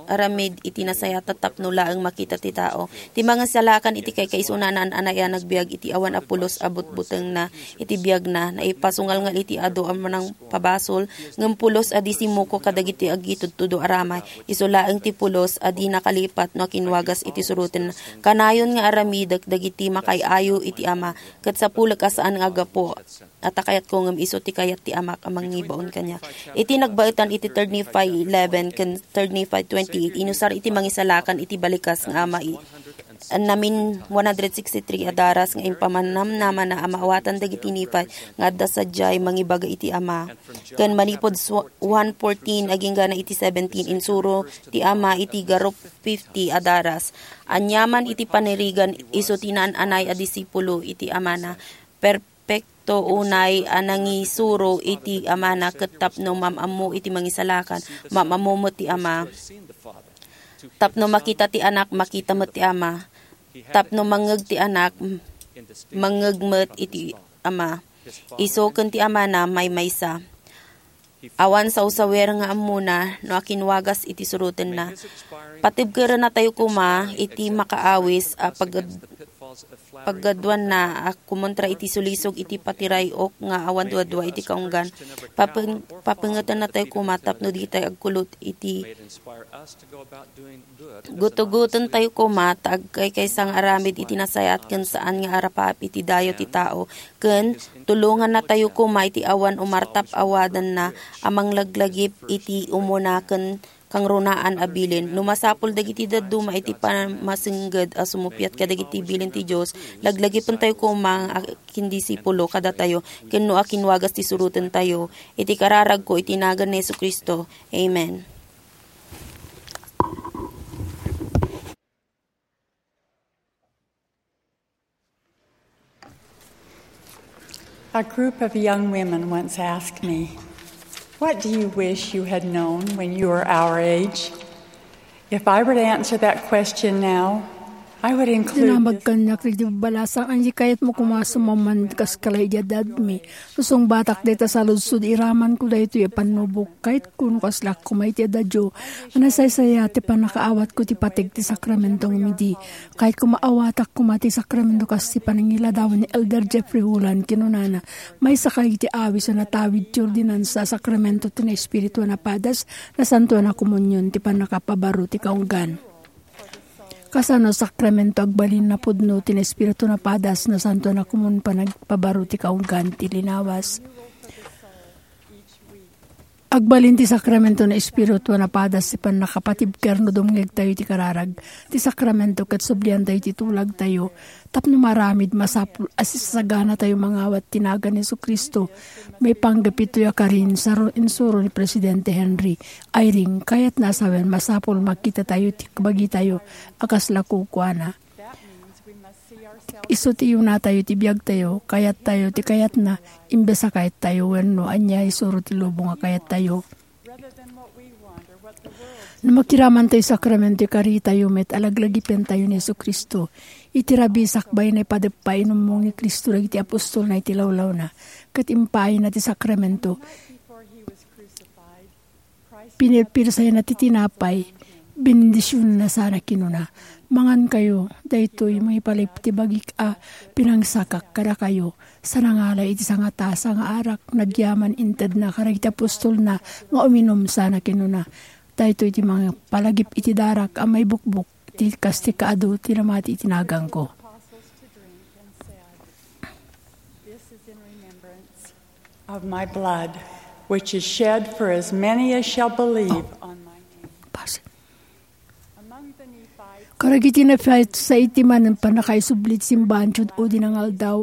aramid iti nasayaat tapno laeng makita ti tao. Ti mangisalakan iti kaykaysona a naan-anay a nagbiag iti awan a pulos a butbutengna iti biagna, naipasungalngal iti adu a manangpabasol, ngem pulos a di simmuko kadagiti agitudtudo a ramay. Isu laeng ti pulos a di nakalipat no akinwagas iti surotenna. Kanayon nga aramidek dagiti makaay-ayo iti Ama, ket sapulek a saan nga aggapu a ta kayatko, ngem isu ti kayat ti Amak a mangibaon kaniak. Iti nagbaetan iti Third Nephi eleven ken Third Nephi twenty-eight, inusar iti mangisalakan iti balikas nga ama i-, namin one hundred sixty-three a daras nga impamannamnamana a maawatan dagiti Nephi nga adda sadiay mangibaga iti Ama. Ken manipud su-, one fourteen agingga na iti seventeen, insuro ti Ama iti garup fifty a daras. Aniaman iti panirigan, isu ti naan-anay a disipulo iti Amana. Per-, Pekto unay a nangisuro iti Amana ket tapno mam-ammo iti Mangisalakan, mam-ammo met ti Ama. Tapno makita ti Anak, makita met ti Ama. Tapno mangngeg ti Anak, mangngeg met iti Ama. Isu ken ti Amana maymaysa. Awan sawsawer nga ammona no akinwagas iti surotenna. Patibkerennatayo koma iti makaawis a pagad-, paggaduanna a kumontra iti sulisog iti patiray-ok nga awan duadua iti kaunggan. Papeng-, papengetennatayo koma tapno ditay agkulot iti Gutgutentayo koma ta agkaykaysa nga aramid iti nasayaat ken saan nga arapaap iti dayo ti tao, ken tulongannatayo koma iti awan umartap-awadanna a manglaglagip iti umuna ken kangrunaan a bilin. No masapul dagiti dadduma iti pammasengged a sumuppiat kadagiti bilin ti Dios, laglagipentayo koma nga agindisipulo kadatayo, ken no akinwagas ti surotentayo. Iti kararagko iti nagan ni Jesu-Cristo. Amen. A group of young women once asked me, "What do you wish you had known when you were our age?" If I were to answer that question now, I would include Dinamag kaniak dagiti balasang, ania kayatmo koma a sumamman kas kalay idi addadmi. Sungbatak dayta saludsod, iramanko daytoy a pannubok. Kayatko no kasla koma iti addayo a nasaysayat ti pannakaawatko ti pateg ti sakramento ngem idi. Kayatko maawatak koma ti sakramento kas ti panangiladawan ni Elder Jeffrey Holland, kinunana, "Maysa kadi iti awis a natawid ti ordinansa a sakramento ti naespiritu a napadas, nasantoan a komunion ti pannakapabaro ti kaunggan." Kasano sakramento agbalin a pudno ti Espiritu a padas, nasantoan a komun panagpabaro ti kaunggan ti linawas? Agbalin ti sakramento ti Espiritu a padas ti pannakapatibker no dumngegtayo iti kararag. Ti sakramento ket subliantayo ti tulagtayo tapno maaramid masapul a sisaganatayo mangawat ti nagan ni Jesu-Cristo. Maipanggep itoy a karin, saro-, insuro ni Presidente Henry Eyring, kayatna a sawen masapul makitatayo ti bagitayo a kasla kukuana. Isu ti iyunatayo ti biagtayo, kayattayo ti kayatna, imbes a kayattayo wenno ania isuro ti lubong a kayattayo. No makiramantayo sakramento, ikaritayo met a laglagipentayo ni Jesu-Cristo. Iti rabii sakbay, naipadep a inummong ni Cristo dagiti apostolna iti lawlawna, ket impaayna ti sakramento. Pinirpirsayna ti tinapay, benendisionanna sana, kinuna, "Mangankayo, daytoy mangipalagip ti bagik a pinangsakak kadakayo." Sa nangala iti sangatasa nga arak, nagyaman intedna kadagiti apostolna nga uminum sana, kinuna, "Daytoy ti mangipalagip iti darak a maibukbok ti kas ti kaadu ti namati iti naganko." This is in remembrance of my blood, which is shed for as many as shall believe on my name. Among the Nephites, karagiti Nephite, sa iti manen pannakaisubli ti simbahan ti Judio dinangaldaw,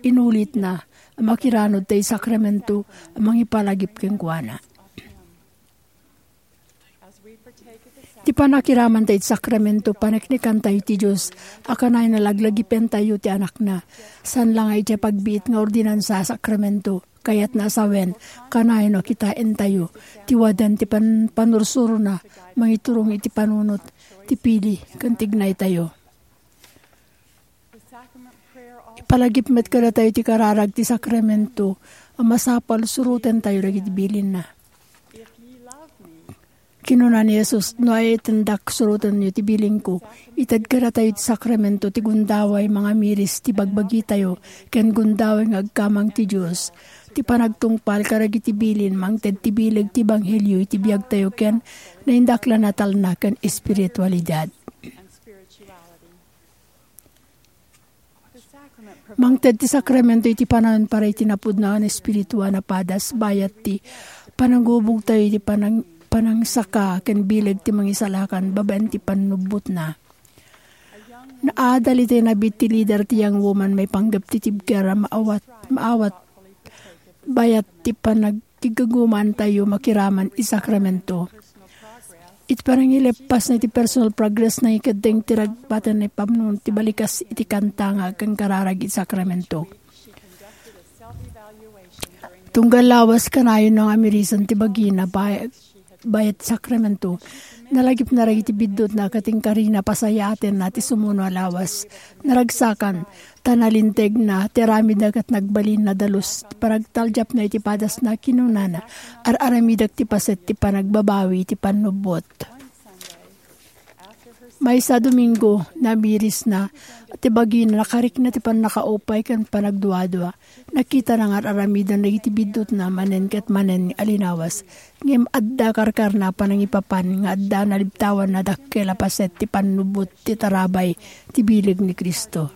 inulitna a makiranud ti sakramento a mangipalagip kenkuana. Ti pannakiramantayo iti sakramento, paneknekantayo ti Dios a kanayon a laglagipentayo ti Anakna. Saan la nga idiay pagbiit nga ordinansa a sakramento, kayatna a sawen, kanayon a kitaentayo ti wadan ti pan-, panursurona, mangiturong iti panunot, ti pili, ken ti ignaytayo. Ipalagip met kadatayo ti kararag ti sakramento a masapul surotentayo dagiti bilinna. Kinuna ni Jesus, "No ayantendak, surotenyo ti bilinko." Ited kadatayo ti sakramento ti gundaway mangamiris ti bagbagitayo ken gundaway nga agkamang ti Dios. Ti panagtungpal kadagiti bilin mangted ti bileg ti ebanghelio iti biagtayo ken naindaklan a talna ken espiritualidad. Mangted ti sakramento iti panawen para iti napudno a espiritu a napadas, bayat ti panangubogtayo iti panang-, panangsaka ken bileg ti Mangisalakan babaen ti pannubbotna. Naadal iti nabiit ti lider ti Young Woman maipanggep ti tibker a maawat, maawat bayat ti panag- Ti gagamantayo makiraman iti sakramento. Iti panangileppasna iti personal progress, nangikeddeng ti ragbatenna iti pamnunot ti balikas iti kanta nga agkarkararag iti sakramento. Tunggal lawas, kanayon nga amirisen ti bagina, bay-, bayat sakramento. Nalagipna dagiti biddutna ket inkarina pasayaatenna ti sumuno a lawas. Naragsakan, ta nalintegna ti aramidna ket nagbalinna dalus ti panagtaldiapna iti padasna. Kinunana, "Ar-aramidek ti paset ti panagbabawi iti pannubbot." Maysa a Domingo, namirisna ti bagina, nakarikna ti pannakaupay ken panagduadua. Nakitana nga ar-aramiden dagiti biddutna manen ket manen a linawas. Ngem adda karkarna a panangipapan nga adda nalibtawan a dakkel a paset ti pannubbot ti tarabay ti bileg ni Cristo.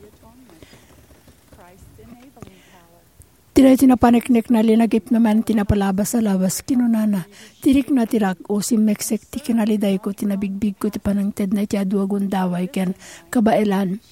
Ti daytoy a paneknekna, linagipna man ti napalabas a lawas. Kinunana, "Ti rikna ti rak-o, simmeksek ti kinalidayko, ti nabigbigko ti panangtedna iti adu a gundaway ken kabaelan."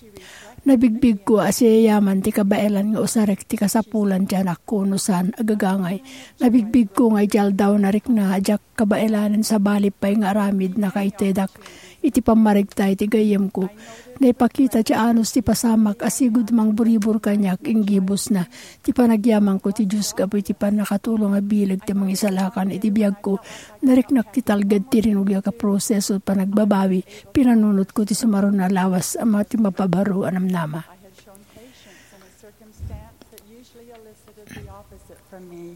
Nabigbigko a siyayaman ti kabaelan nga usarek ti kasapulan ti anakko no saan a gagangay. Nabigbigko nga iti aldaw a narikna a diak kabaelanen, sabali pay nga aramid nakaitedak iti pammarikta iti gayyemko. Naipakita ti anus ti pasamak a sigud mangburibur kaniak inggibusna. Ti panagyamanko ti Dios gapu iti pannakatulong a bileg ti Mangisalakan iti biagko. Nariknak ti talged ti rinugyak a proseso ti panagbabawi. Pinanunotko ti sumaruno a lawas a ma-, ti mapabaro a namnama. I had shown patience in a circumstance that usually elicited the opposite from me.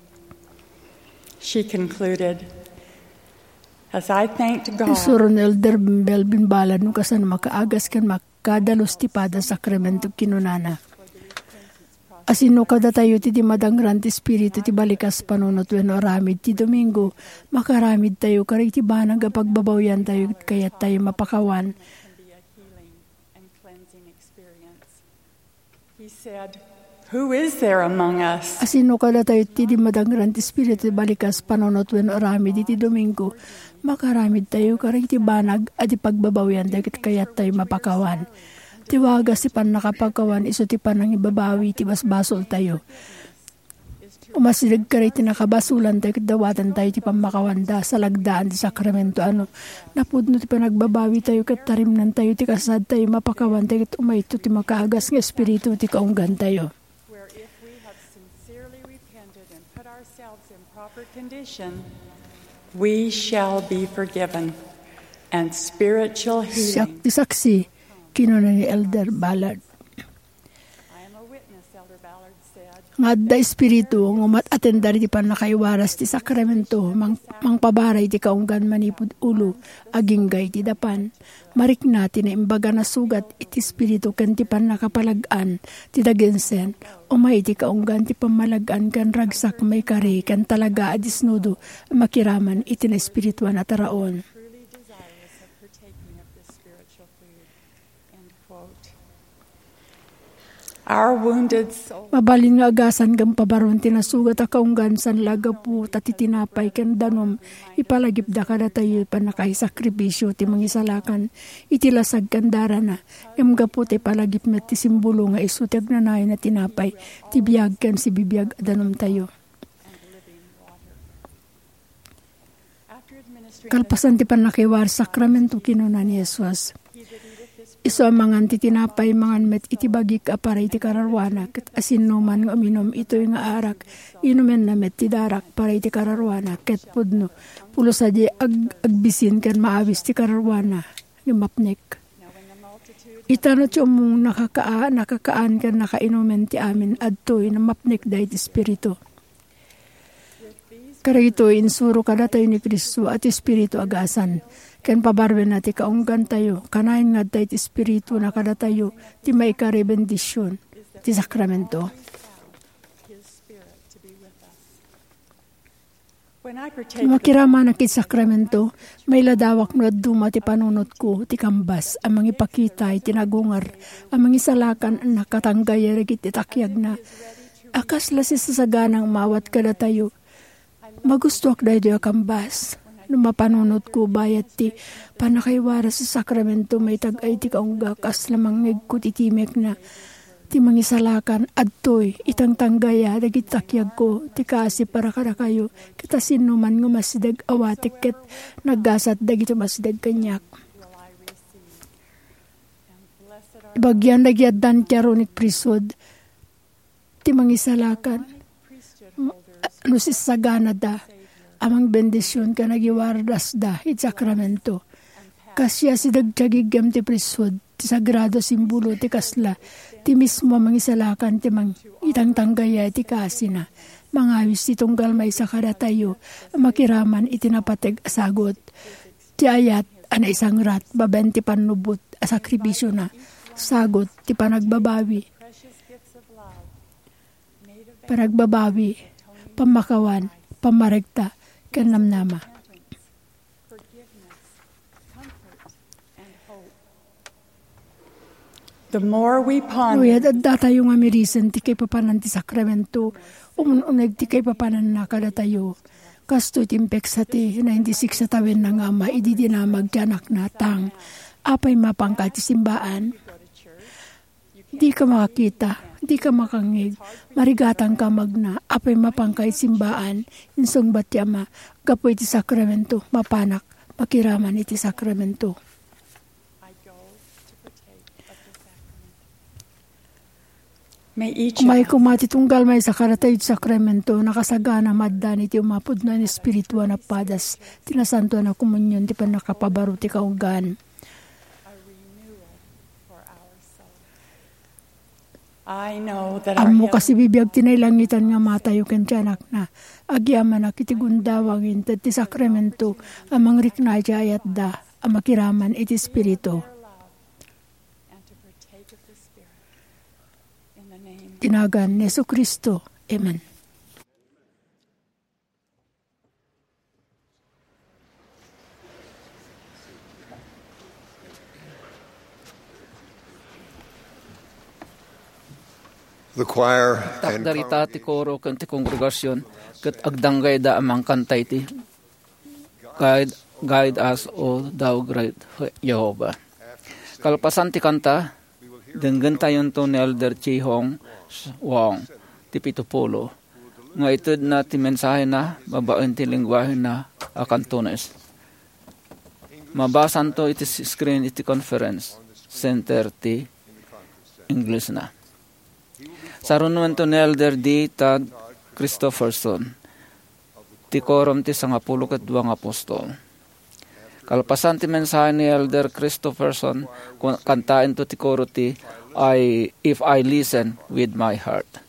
She concluded, as I thanked God. Insuro ni Elder Melvin Ballard no kasano makaagas ken makadalus ti pada sakramento, kinunana, "Asino kadatayo ti di madangran ti Espiritu ti balikas panunot wenno aramid ti Domingo? Makaaramidtayo kadagiti banag a pagbabawiantayo ket kayattayo mapakawan." He said, "Who is there among us?" Asino kadatayo ti dimmadangran ti Espiritu ti balikas, panunot wenno aramid iti Domingo? Makaaramidtayo kadagiti banag a di pagbabawian dagiti kayattayo mapakawan. Ti wagas ti pannakapakawan isu ti panangibabawi ti basbasoltayo. Umasideg kadagiti nakabasolantayo ket dawatantayo ti pammakawanda, salagdaan ti sakramento a no napudno ti panagbabawitayo ket tarimnantayo ti kasasaadtayo mapakawan dagiti umayto ti makaagas nga espiritu ti kaunggantayo. Where if we have sincerely repented and put ourselves in proper condition, we shall be forgiven, and spiritual healing. Siak ti saksi, kinuna ni Elder Ballard. I am a witness, Elder Ballard said. Nga adda espiritu nga umat-atender iti pannakaiwaras ti sakramento, mang-, mangpabara iti kaunggan manipud ulo, agingga iti dapan. Marikna ti naimbag a nasugat iti espiritu ken ti pannakapalag-an ti dagensen, umay iti kaunggan ti pammalag-an ken ragsak maikari ken talaga a disnudo a makiraman iti naespirituan a taraon. Our wounded soul. Mabalin nga agasan ngem pabaron ti nasugat a kaunggan saan la gapu ta ti tinapay ken danum ipalagipda kadatayo iti pannakaisakripisio ti Mangisalakan iti lasag ken darana, ngem gapu ta ipalagip met ti simbolo nga isu ti agnanayon a tinapay ti biag ken sibibiag a danumtayo. Kalpasan ti pannakaiwaras sakramento, kinuna ni Jesus, "Isu a mangan ti tinapay, mangan met iti bagik a para iti kararuana, ket asinoman nga uminum itoy nga arak, inumenna met ti darak para iti kararuana, ket pudno, pulos a di ag-, agbisin ken maawis ti kararuana, ngem mapnek." Ita no ti ummong nakakaa-, nakakaan ken nakainumen ti amin, adtoy, mapnekda iti espiritu. Kadagitoy insuro kadatayo ni Cristo a ti Espiritu agasan, ken pabaruenna ti kaunggantayo, kanayon nga adda iti Espiritu na kadatayo ti maikari bendision ti sakramento. No makiramanak iti sakramento, mailadawak no dadduma ti panunotko, ti kambas a mangipakita iti nagungar a mangisalakan a nakatanggaya dagiti takiagna. A kasla sisasagana nga umawat kadatayo. Magustoak daytoy a kambas. No mapanunotko bayat ti pannakaiwaras ti sakramento, maitag-ay ti kaungga kasla mangngegko ti timekna. Ti mangisalakan, adtoy, itangtanggaya dagiti takiagko, ti kaasi para kadakayo, ket asinoman nga umasideg awatek ket naggasat dagiti umasideg kaniak. Ibagian dagiti addan ti arunik priesthood, ti mangisalakan, no sisaganada a mangbendision ken agiwardasda iti sakramento. Kas siasideg ti agigem ti priesthood, ti sagrado a simbolo ti kasla, ti mismo a mangisalakan ti mang-, itangtanggaya iti kaasina. Mangawis ti tunggal maysa kadatayo a makiraman iti napateg a sagut. Ti ayat a naisangrat babaen ti pannubot a sakrifisiona, sagut ti panagbabawi, panagbabawi, pammakawan, pammaregta, ken namnama. The more we ponder. No adda tayo nga mirisen ti kaipapanan ti sakramento, umun-uneg ti kaipapananna kadatayo. Kastoy ti impeksa ti ninety-six a tawenna nga ama idi dinamag ti anakna, "Tang, apay mapanka iti simbaan?" Dika makakita, dika makangngeg, marigatangka magna, apay mapanka iti simbaan? Insungbat ti ama, "Gapu iti sakramento, mapanak makiraman iti sakramento." May each of us. Umay koma ti tunggal maysa kadatayo iti sakramento, nakasagana maaddan iti umapudno a espiritu a napadas, ti nasantoan a komunion, ti pannakapabaro ti kaunggaan. I know that our Ammok a sibibiag ti nailangitan nga Amatayo ken ti Anakna. Agyamanak iti gundawang inted ti sakramento a mangrikna iti ayatda a makiraman iti Espiritu. Iti nagan ni Jesu-Cristo. Amen. The choir and Takdarita ti congregation koro ken ti kongregasion ket agdanggayda a mangkanta iti Guide, Guide Us, O Thou Great Jehovah. Kalpasan ti kanta, denggentayonto ni Elder Chi Hong Wong, ti pito pulo, nga itedna ti mensahena babaen ti lengguahena a Cantonese. Mabasanto iti s-, screen iti conference center ti Inglesna. Sarunuento ni Elder D. Todd Christofferson, ti Quorum ti Sangapulo ket Dua nga Apostol. Kalpasan ti mensahe ni Elder Christofferson, ku-, kantaento ti koro ti I, If I Listen with My Heart.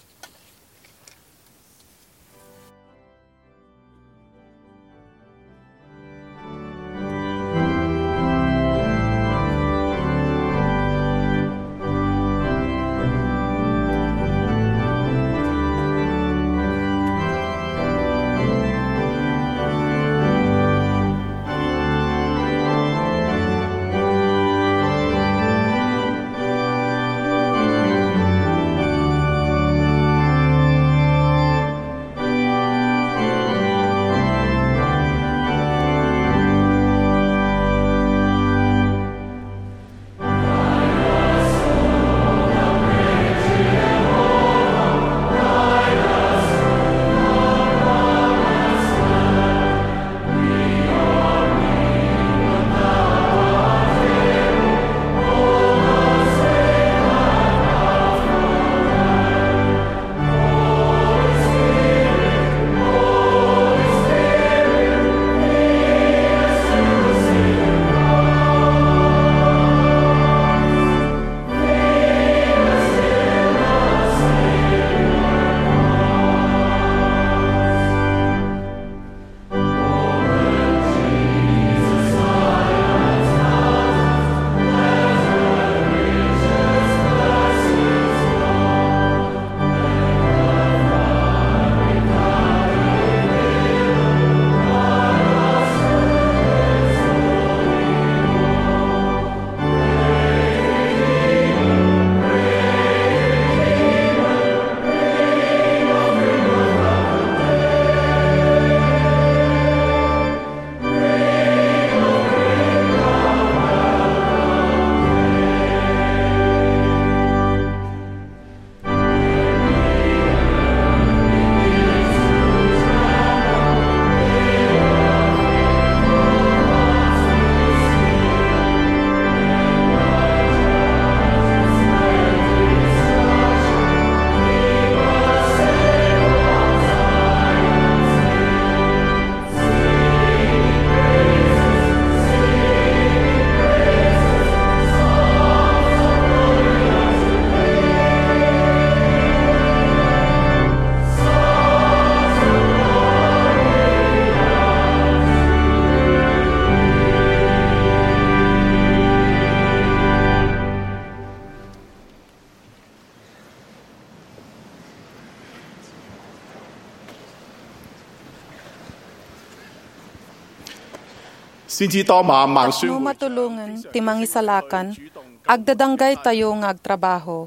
Tapno matulongen ti mangisalakan, agdadanggaytayo nga agtrabaho.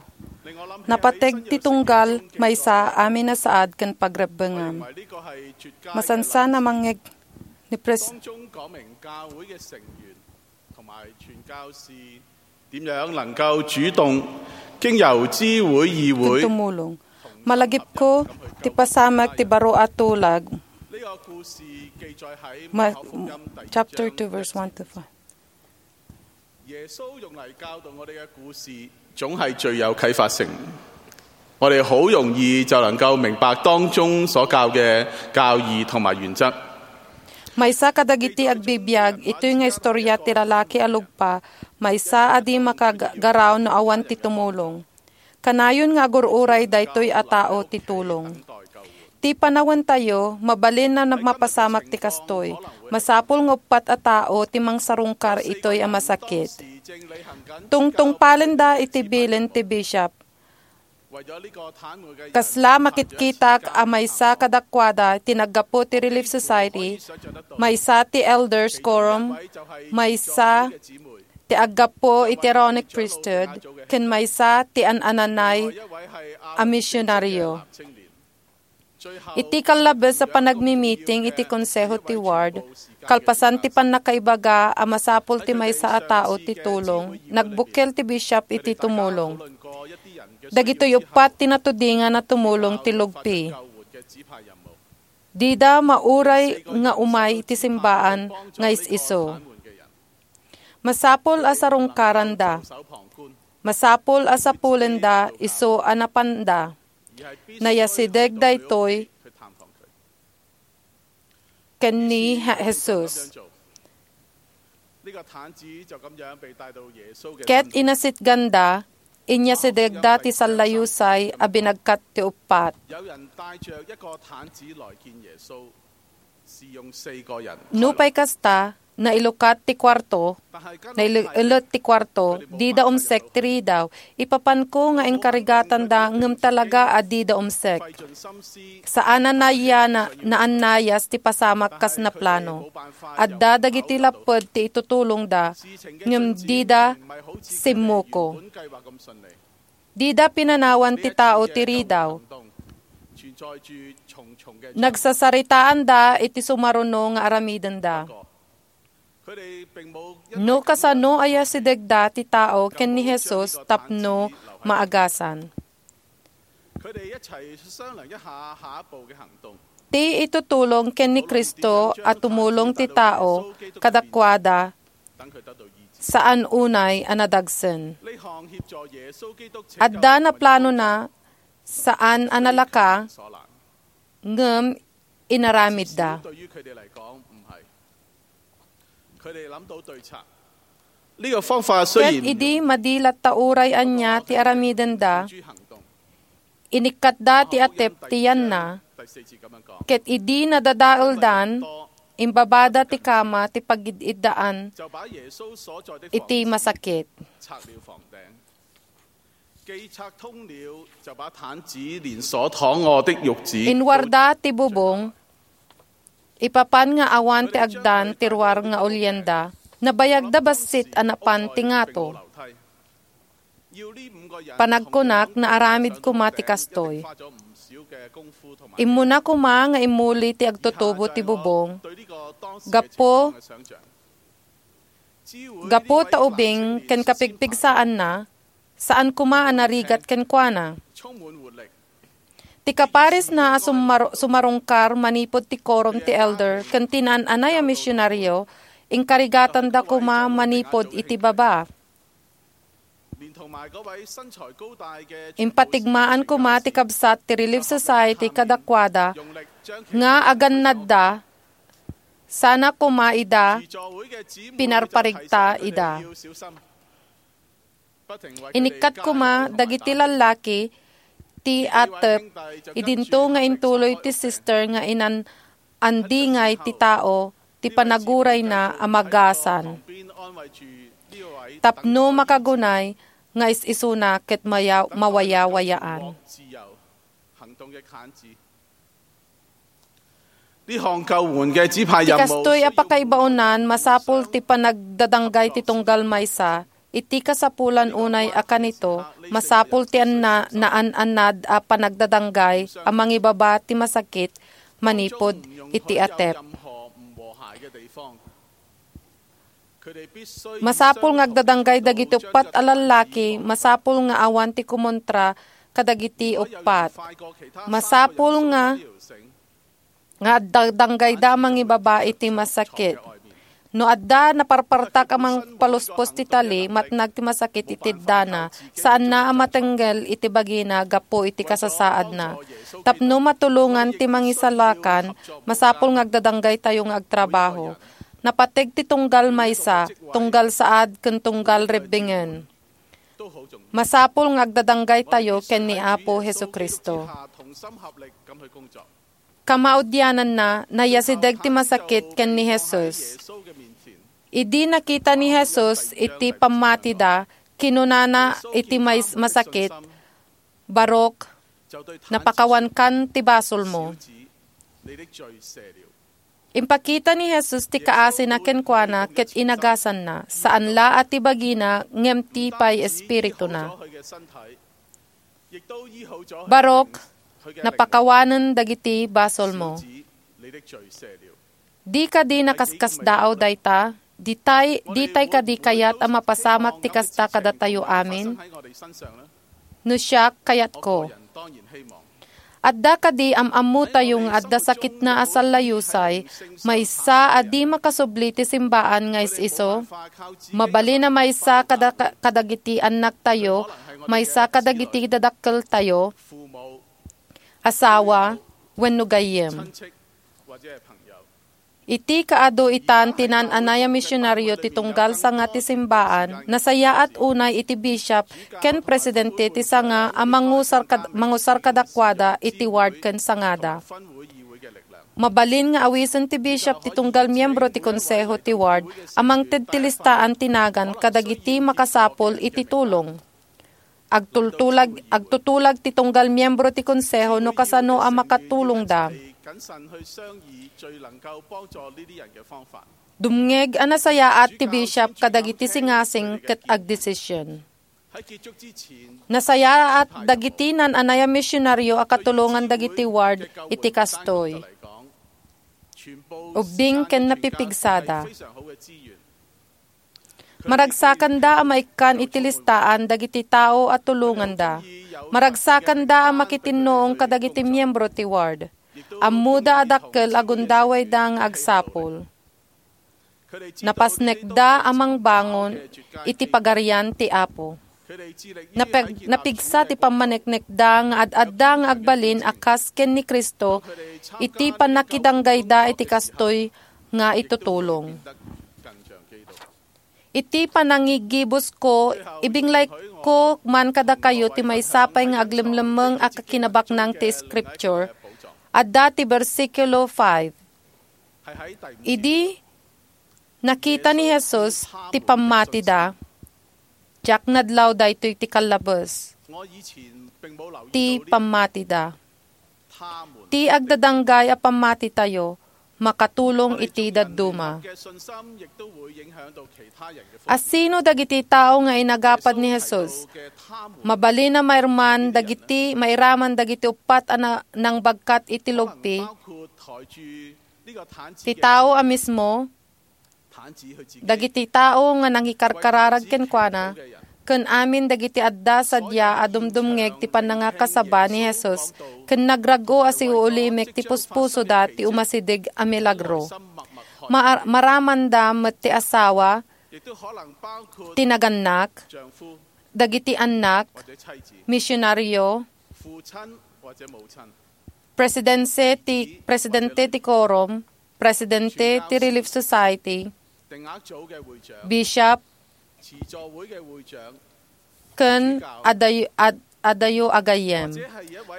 Napateg ti tunggal, maysa amin a saad ken pagrebbengam. Masansan a mangngeg ni Pres- 點樣能夠主動經由支會、議會 tumulong. Malagipko ti pasamak ti baro a tulag. 呢個故事記載喺 Ma-, 馬可福音第二章 chapter two, verse one to five. 耶穌用嚟教導我哋嘅故事，總係最有啟發性。我哋好容易就能夠明白當中所教嘅教義同埋原則。 Maysa kadagiti agbibiag, itoy nga istorya ti lalaki a lugpa, maysa a di makagaraw no awan ti tumulong. Kanayon nga agur-uray daytoy a tao ti tulong. Ti panawentayo, mabalin a mapasamak ti kastoy. Masapul nga uppat a tao ti mangsarungkar itoy a masakit. Tungtungpalenda iti bilin ti bishop. Kasla makitkitak a maysa kadakuada ti naggapu ti Relief Society, maysa ti Elders Quorum, maysa ti aggapu iti Aaronic priesthood ken maysa ti an-ananay a misionario. Iti kallabes a panagmimiting iti konseho ti ward, kalpasan ti pannakaibaga a masapul ti maysa a tao ti tulong, nagbukkel ti bishop iti tumulong. Dagitoy uppat ti natudingan a tumulong ti lugpi. Dida mauray nga umay iti simbaan nga is-isu. Masapul a sarungkaranda. Masapul a sapulenda isu a napanda. Nayasideg daytoy ken ni Je-, Jesus. Ket inasitganda, inyasidegda ti sallayusay a binagkat ti uppat. Nupay kasta, nailukat ti kuarto, nailu-, ilut ti kuarto, dida umsek ti ridaw. Ipapanko nga inkarigatanda ngem talaga a dida umsek. Saan a naya-, na-, naannayas ti pasamak kas naplano. Adda dagiti lapped ti itutulongda, ngem dida simmuko. Dida pinanawan ti tao ti ridaw. Nagsasaritaanda iti sumaruno nga aramidenda. No kasano a yasidegda ti tao ken ni Jesus tapno maagasan. Ti itutulong ken ni Cristo a tumulong ti tao kadakuada saan unay a nadagsen. Adda naplanona saan a nalaka, ngem inaramidda. Ket idi madi latta uray ania ti aramidenda, inikkatda ti atep ti yanna, ket idi nadadaeldan, imbabada ti kama ti pagid-iddaan iti masakit. Inwarda ti bubong, ipapan nga awan ti agdan ti ruar nga ulienda, nabayagda bassit a napan ti ngato. Panagkunak, naaramid koma ti kastoy. Immuna koma nga immuli ti agtutubo ti bubong. Gapu, gapu ta ubing ken kapigpigsaanna, saan koma a narigat kenkuana. Ti kaparisna a sumar-, sumarungkar manipud ti korom ti elder ken ti naan-anay a misionario, inkarigatanda koma manipud iti baba. Impatigmaan koma ti kabsat ti Relief Society kadakuada nga agannadda sana koma ida pinarparigta ida. Inikkat koma dagiti lallaki ti atep idinto nga intuloy ti sister nga inan-andingay ti tao ti panagurayna a magasan tapno makagunay nga is-isuna ket maya-, mawayawayaan. Ti kastoy a pakaibaonan, masapul ti panagdadanggay ti tunggal maysa. Iti kasapulan unay a kanito, masapul ti anna-, naan-annad a panagdadanggay a mangibaba ti masakit manipud iti atep. Masapul nga agdadanggay dagiti uppat a lallaki, masapul nga awan ti kumontra kadagiti uppat. Masapul nga, nga agdadanggayda a mangibaba iti masakit. No adda naparpartak a mangpaluspos ti tali, matnag ti masakit iti dana, saanna a matengngel iti bagina gapu iti kasasaadna. Tapno matulongan ti mangisalakan, masapul nga agdadanggaytayo nga agtrabaho. Napateg ti tunggal maysa, tunggal saad, ken tunggal rebbingen. Masapul nga agdadanggaytayo ken ni Apo Jesu-Cristo. Kamaudiananna, nayasideg ti masakit ken ni Jesus. Idi nakita ni Jesus iti pammatida, kinunana iti mais-, masakit, "Barok, napakawankan ti basolmo." Impakita ni Jesus ti kaasina kenkuana ket inagasanna, saan la a ti bagina ngem ti pay espirituna. Barok, napakawanen dagiti basolmo. Di kadi nakaskasdaaw dayta? Ditay, ditay kadi kayat a mapasamak ti kasta kadatayo amin? No siak, kayatko. Adda kadi am-ammotayo nga adda sakitna a sallayusay, maysa a di makasubli ti simbaan nga is-iso? Mabalin a maysa kada-, kadagiti annaktayo, maysa kadagiti dadakkeltayo, asawa, wenno gayyem. Iti kaadu itan ti naan-anay a misionario ti tunggal sanga ti simbaan, nasayaat unay iti bishop ken presidente ti sanga a mangusar kad-, mangusar kadakuada iti ward ken sangada. Mabalin nga awisen ti bishop ti tunggal miyembro ti konseho ti ward a mangted ti listaan ti nagan kadagiti makasapul iti tulong. Agtultulag, agtutulag ti tunggal miyembro ti konseho no kasano a makatulongda. Dumngeg a nasayaat ti bishop kadagiti singasing ket agdesisyon. Nasayaat dagiti naan-anay a misionario a katulongan dagiti ward iti kastoy. Ubbing ken napipigsada. Maragsakanda a maikkan iti listaan dagiti tao a tulonganda. Maragsakanda a makitinnuong kadagiti miyembro ti ward. Ammoda a dakkel a gundawayda nga agsapul. Napasnekda a mangbangon iti Pagarian ti Apo. Napeg-, napigsa ti pammaneknekda nga ad-adda nga agbalin a kas ken ni Cristo iti pannakidanggayda iti kastoy nga itutulong. Iti panangigibusko, ibinglayko man kadakayo ti maysa pay nga aglemlemmeng a kakinabaknang ti Scripture. Adda ti bersikulo five. Idi nakita ni Jesus ti pammatida, diak nadlaw daytoy ti kallabes ti pammatida. Ti agdadanggay a pammatitayo makatulong iti dadduma. Asino dagiti tao nga inagapad ni Jesus? Mabalin a mairman dagiti, mairaman dagiti uppat a na-, nangbagkat iti lugpi. Ti tao a mismo, dagiti tao nga nangikarkararag kenkuana, ken amin dagiti adda sadiay a dumdumngeg ti panangakasaba ni Jesus ken nagrag-o a siuulimek ti puspusoda ti umasideg a milagro. Ma-, maramanda met ti asawa, ti nagannak, dagiti annak, misionario, presidente ti, presidente ti quorum, presidente ti Relief Society, bishop, ken adayo, ad-, adayo a gayyem.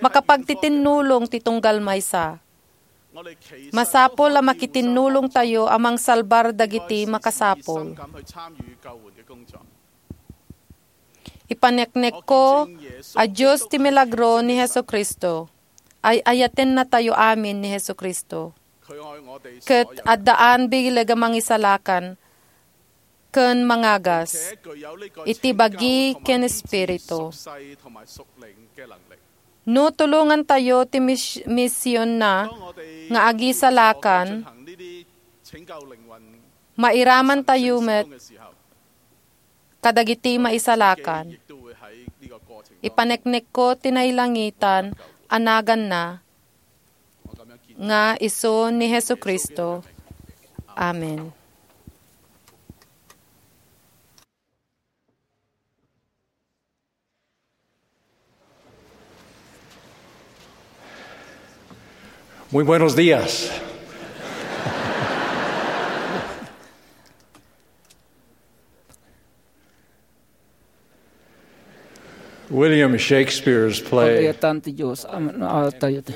Makapagtitinnulong ti tunggal maysa. Masapul a makitinnulongtayo a mangsalbar dagiti makasapul. Ipaneknekko a Dios ti milagro ni Jesu-Cristo. Ay-ayatennatayo amin ni Jesu-Cristo. Ket addaan bileg a mangisalakan ken mangagas iti bagi ken espiritu. No tulongantayo ti mis-, misionna nga agisalakan, mairamantayo met kadagiti maisalakan. Ipaneknekko ti nailangitan a naganna nga isu ni Jesu-Cristo. Amen. Muy buenos días. William Shakespeare's play, Pag-ayatan ti Dios, am-, ah, tayo ti.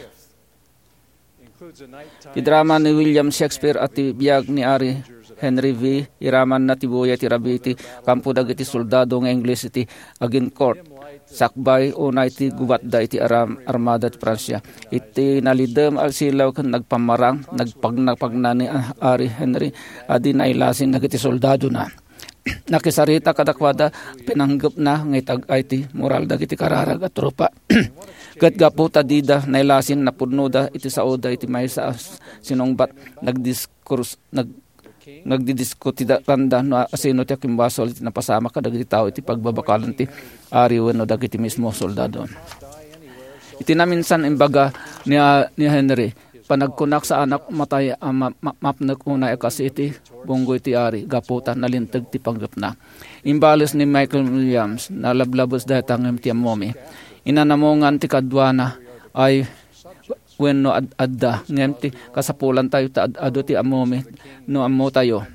Ti drama ni William Shakespeare a ti biag ni Ari Henry V. Iramanna ti buya ti rabii ti kampo dagiti soldado nga Ingles iti Agincourt, sakbay unay ti gubatda iti aram-, armada ti Francia. Iti nalidem a silaw ken nagpammarang, nagpagnapagna ni Ari Henry a di nailasin dagiti soldadona. Nakisarita kadakuada, pinanggepna nga itag-ay ti moral dagiti kararag a tropa. Ket gapu ta dida nailasin, napudnoda iti saoda iti maysa a sinungbat, nagdiskus-, nag-, nagdidiskutida randa no asino ti akimbasol iti napasamak kadagiti tao iti pagbabakalan ti ari wenno dagiti mismo soldado. Iti naminsan, imbaga ni, ni Henry, "Panagkunak, saanak matay a ma-, ma-, mapnek unay a kas iti bunggoy ti ari gapu ta nalinteg ti panggepna." Imbales ni Michael Williams, "Nalablabes dayta ngem ti ammomi. Inanamongan ti kaduana ay wenno ad-, adda, ngem ti kasapulantayo ta ad-, adu ti ammomi no ammotayo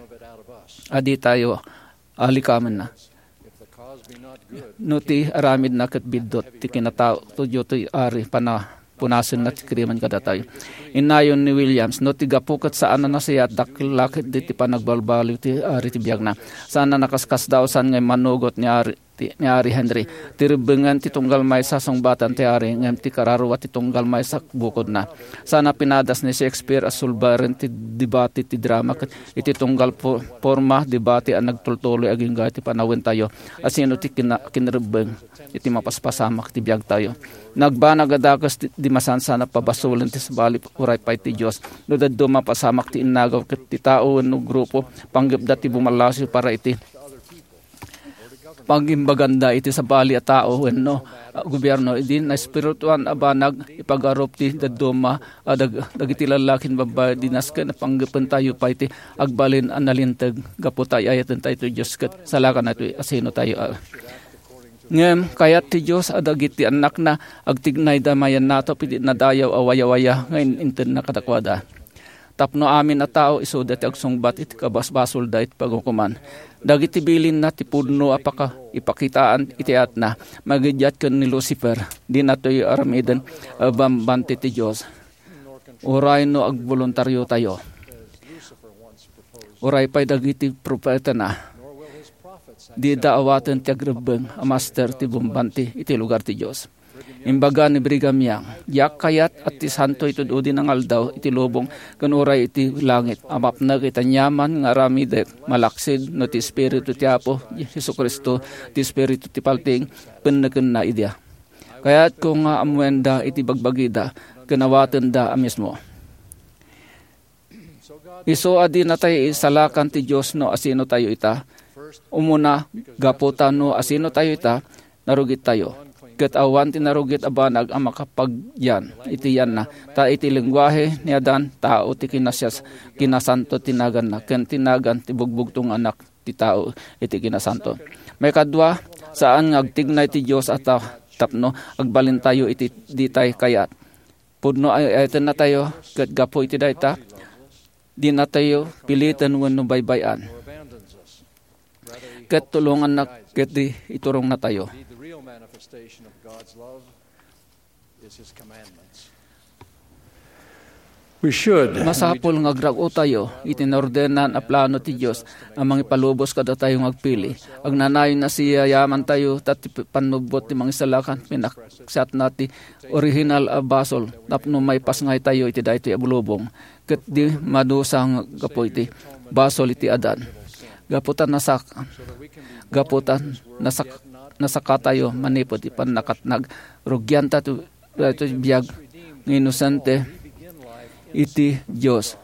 a ditayo alikamenna. No ti aramidna ket biddut ti kinatao, tudyo ti ari pana-, punasenna ti krimen kadatayo." Innayon ni Williams, "No ti gapu ket saan a nasayaat, dakkel la ketdi ti panagbalbaliw ti ari ti biagna. Saan a nakaskasdaaw, saan nga immanugot ni ari, ti, ni Ari Henry. Ti rebbengen ti tunggal maysa sungbatan ti ari, ngem ti kararua ti tunggal maysa bukodna. Saan a pinadas ni Shakespeare a sulbaren ti debate ti drama ket iti tunggal po-, porma, debate a nagtultuloy agingga iti panawentayo. Asino ti kina-, kinrebbeng iti mapaspasamak ti biagtayo? Nagbanag a dakes ti, di masansan a pabasolen ti sabali, uray pay ti Dios. No dadduma a pasamak ti innagaw ket ti tao wenno grupo, panggepda ti bumallasiw para iti pagimbaganda iti sabali a tao wenno, ah, gobierno, idi naespirituan a banag, ipagarup ti dadduma a dag-, dagiti lallaki ken babbai, di nasken a panggepentayo pay ti agbalin a nalinteg gapu ta ay-ayatentayo ti Dios ket salakantayo asino tayo, ah. Ngem kayat ti Dios a dagiti annakna agtignayda mayan natop iti nadayaw a wayawaya nga in-, intedna kadakuada. Tapno amin a tao isuda ti agsungbat iti kabasbasolda iti pangukoman. Dagiti bilinna ti pudno a paka-, ipakitaan iti ayatna, magiddiat ken ni Lucifer, dinatoy aramiden a bambanti ti Dios. Uray no agboluntariotayo. Uray pay dagiti propetana, dida awaten ti agrebbeng a master ti bambanti iti lugar ti Dios. Imbaga ni Brigham Young, "Diak kayat a ti santoy tud-udi nga aldaw iti lubong ken uray iti langit a mapnek iti aniaman nga aramidek, malaksid no ti Espiritu ti Apo Jesu-Cristo, ti Espiritu ti paltiing, pennekenna idiay. Kayatko nga ammoenda iti bagbagida ken awatenda a mismo." Isu a di natay isalakan ti Dios no asino tayo ita. Umuna, gapu ta no asino tayo ita, narugit tayo. Ket awan ti narugit a banag a makapagyan iti yanna, ta iti lenguahe ni Adan, tao ti kinasias-, kinasanto ti naganna, ken ti nagan ti bugbugto nga anak ti tao iti kinasanto. Maikadua, saan nga agtignay ti Dios a ta-, tapno agbalintayo iti ditay kayat. Pudno ay-, ayatennatayo, ket gapu iti dayta, dinatayo piliten wenno baybay-an. Ket tulonganna ketdi iturongnatayo. We should. Masapul nga agrag-otayo iti naordenan a plano ti Dios a mangipalubos kadatayo nga agpili. Agnanayon a siyayamantayo ta ti pannubbot ti Mangisalakan pinaksatna ti orihinal a basol tapno maipasngaytayo iti daytoy a bulubong ket di madusa nga gapu iti basol iti Adan. Gapu ta nasak-, gapu ta nasak-, nasakatayo manipud ti pannakatnag, rugianta ti daytoy biag nga inosente iti Dios.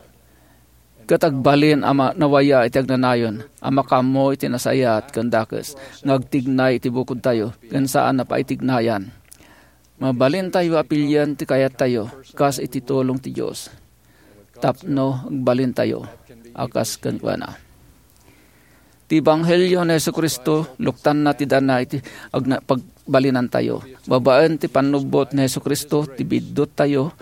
Ket agbalin a ma-, nawaya iti agnanayon a makaammo iti nasayaat ken dakes nga agtignay iti bukodtayo ken saan a paitignayan. Mabalintayo a pilien ti kayattayo kas iti tulong ti Dios tapno agbalintayo a kas kenkuana. Ti ebanghelio ni Jesu-Cristo, luktanna ti dana iti agna-, pagbalinantayo. Babaen ti pannubbot ni Jesu-Cristo, ti bidduttayo,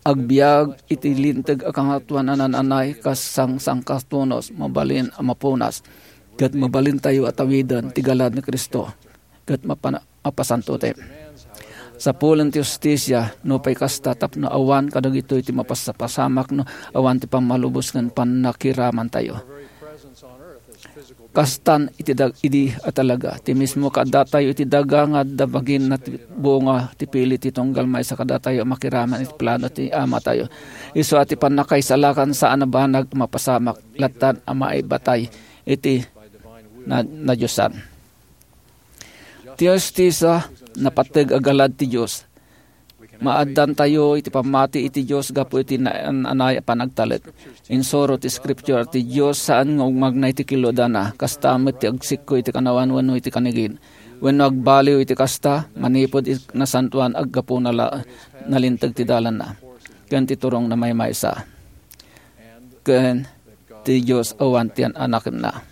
agbiag iti linteg a kangatoan a naan-anay kas sangsangkatunos, mabalin a mapunas, ket mabalintayo a tawiden ti galad ni Cristo, ket mapana-, mapasantoten. Sapulen ti hustisia, nupay kasta, tapno awan kadagitoy ti mapasapasamak no awan ti pammalubos ken pannakiramantayo. Kastan iti dag-, idi a talaga, ti mismo kaadatayo iti daga nga adda baginna ti bunga ti pili ti tunggal maysa kadatayo a makiraman iti plano ti Amatayo. Isu a ti pannakaisalakan saan a banag a mapasamak, lattan a maibatay iti na-, nadiosan. Ti hustisia, napateg a galad ti Dios. Maaddantayo iti pammati iti Dios gapu iti naan-anay a panagtalek. Insuro ti Scripture ti Dios saan nga umagna iti kiludana, kasta met ti agsikko iti kanawan wenno iti kanigin. Wenno agbaliw iti kasta, manipud iti nasantoan, aggapuna la nalinteg ti dalanna ken ti turongna maymaysa. Ken ti Dios awan ti an-anakenna.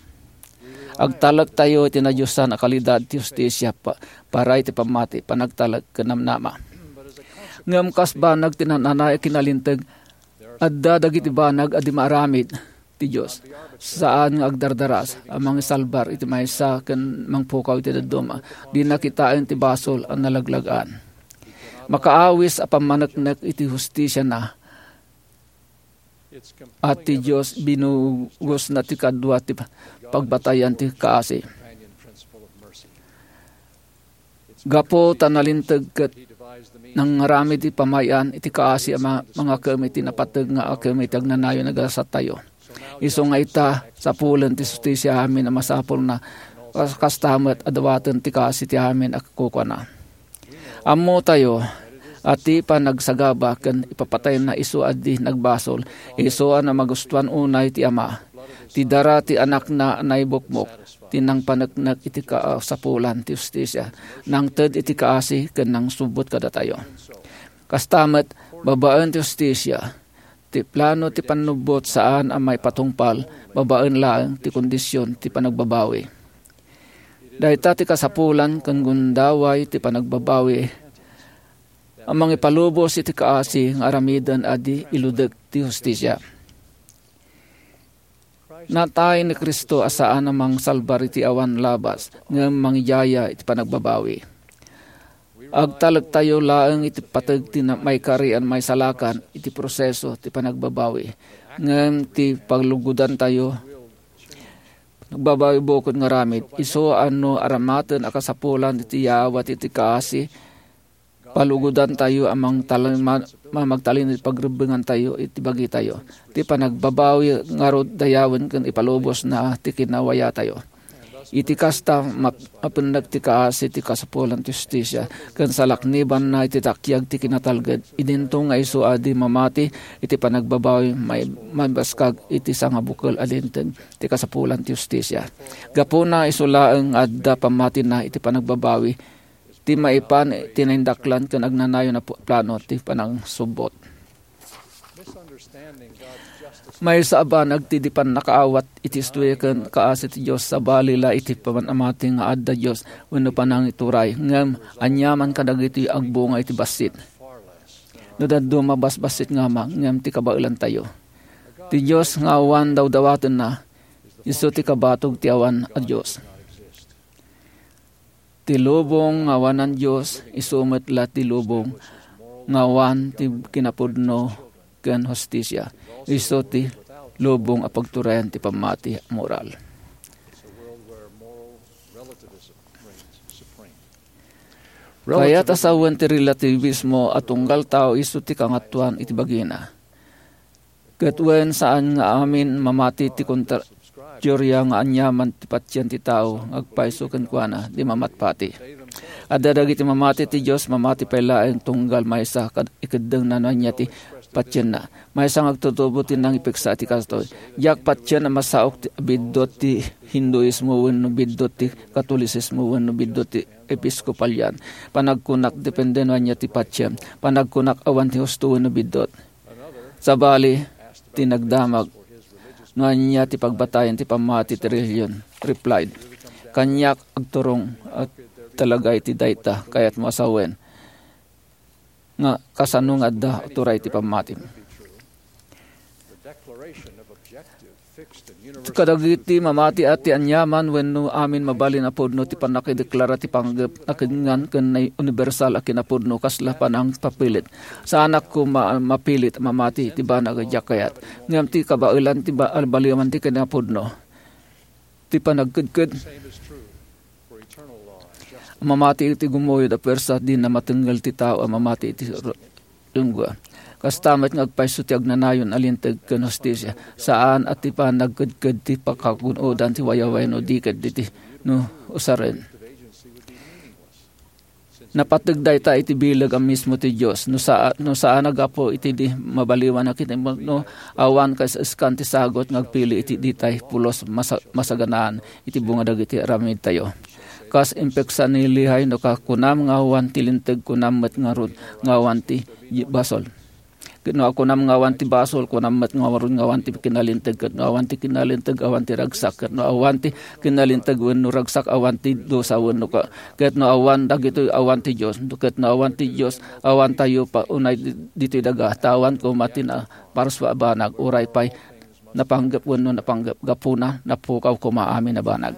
Agtalektayo iti nadiosan a kalidad ti hustisia pa-, para iti pammati, panagtalek, ken namnama. Ngem kas banag ti naan-anay a kinalinteg, adda dagiti banag a di maaramid ti Dios, saan nga agdardaras a mangisalbar iti maysa ken mangpukaw iti dadduma. Dina kitaen ti basol a nalaglag-an. Makaawis a pammaneknek iti hustisiana a ti Dios binugosna ti kadua ti pagbatayan ti kaasi. Gapu ta nalinteg ket nangaramid ti pamay-an iti kaasi a ma-, mangakem iti napateg nga akem iti agnanayon a gasatyo. Isu nga ita, sapulen ti hustisia amin a masapulna, kas-, kasta met a dawaten ti kaasi ti amin a kukuana. Ammotayo a ti panagsagaba ken ipapatayna isu a di nagbasol, isu a namagustuan unay ti Ama. Ti dara ti Anakna a naibukmok, ti nangpaneknek iti kasapulan ti hustisia, nangted iti kaasi ken nangsubbot kadatayo. Kasta met, babaen ti hustisia, ti plano ti pannubbot saan a maipatungpal, babaen laeng ti kondisyon ti panagbabawi. Dayta ti kasapulan ken gundaway ti panagbabawi a mangipalubos iti kaasi nga aramiden a di iludek ti hustisia. Natay ni Cristo a saan a mangsalbar iti awan labas, ngem mangidiaya iti panagbabawi. Agtalektayo laeng iti pateg ti na-, maikari a maisalakan iti proseso ti panagbabawi, ngem ti paglugodantayo, nagbabawi bukud nga aramid, isu a no aramaten a kasapulan iti yawat iti kaasi, palugodantayo a mangtalima-, ma-, magtalino iti pagrebbengantayo iti bagitayo. Ti panagbabawi ngarud dayawen ken ipalubosna ti kinawayatayo. Iti kasta, map-, mapennek ti kaasi ti kasapulan ti hustisia, ken salaknibanna iti takyag ti kinatalged. Idinto nga isu a di mamati iti panagbabawi, may-, maibaskag iti sangabukel a linteg ti kasapulan ti hustisia. Gapuna, isu laeng nga adda pammatina iti panagbabawi, ti maipan ti naindaklan ken agnanayon a pu-, plano ti panangsubbot. Maysa a banag ti di pannakaawat iti istoria ken kaasi ti Dios, sabali la iti pamanamati nga adda Dios wenno panangituray, ngem aniaman kadagitoy agbunga iti bassit. No dadduma, basbassit nga Ama, ngem ti kabaelantayo. Ti Dios nga awan dawdawatenna, isu ti kabatog ti awan a Dios. Ti lubong nga awanan Dios, isu met la ti lubong nga awan ti kinapudno ken hustisia. Isu ti lubong a pagturayan ti pammati a moral. Kayat a sawen ti relativismo a tunggal tao isu ti kangatoan iti bagina. Ket wen, saan nga amin mamati ti kontra-, teoria nga aniaman ti patien ti tao nga agpayso kenkuana, di mamatpati. Adda dagiti mamati ti Dios, mamati pay laeng tunggal maysa kad ikeddengna no ania ti patienna. Maysa nga agtutubo ti nangipiksa iti kastoy, diak patien a masaok ti biddut ti Hinduismo wenno biddut ti Katolisismo wenno biddut ti Episkopalian. Panagkunak, depende no ania ti patien. Panagkunak, awan ti husto wenno biddut. Sabali, ti nagdamag no ania ti pagbatayan ti pammati ti relihion, replied, "Kaniak agturong a talaga iti dayta, kayatmo a sawen nga kasano nga adda turay ti pammatim." Kadagiti mamati a ti aniaman wenno amin mabalin a pudno ti pannakideklara ti panggep a kenngan ken naiunibersal a kinapudno kasla panangpapilit. Saanak koma a mapilit a mamati iti banag a diak kayat. Ngem ti kabaelan ti ba-, baliwan ti kinapudno. Ti panagkedked. Mamati iti gumuyod a puersa, dina matengngel ti tao a mamati iti ro-, lengua. Kasta met nga agpayso ti agnanayon a linteg ken hustisia. Saan a ti panagkedked ti pakagun-odan ti wayawayan no di ket diti no usaren. Napateg dayta iti bileg a mismo ti Dios. No sa-, no saan a gapu iti di mabaliwan a kinapudno, awan kaiskan ti sagut nga agpili iti ditay pulos masa-, masaganaan iti bunga dagiti aramidtayo. Kas impeksa ni Lehi, no ka-, kunam nga awan ti linteg, kunam met ngarud nga awan ti basol. Ket no kunam nga awan ti basol, kunam met ngarud nga awan ti kinalinteg, ket no awan ti kinalinteg, awan ti ragsak, ket no awan ti kinalinteg wenno ragsak, awan ti dusa wenno ka-, ket no awan dagitoy, awan ti Dios, ket no awan ti Dios, awan tayo pa unay di-, ditoy daga, ta awan koma ti naparsua a banag, uray pay napanggep wenno napanggep, gapuna, napukaw koma amin a banag.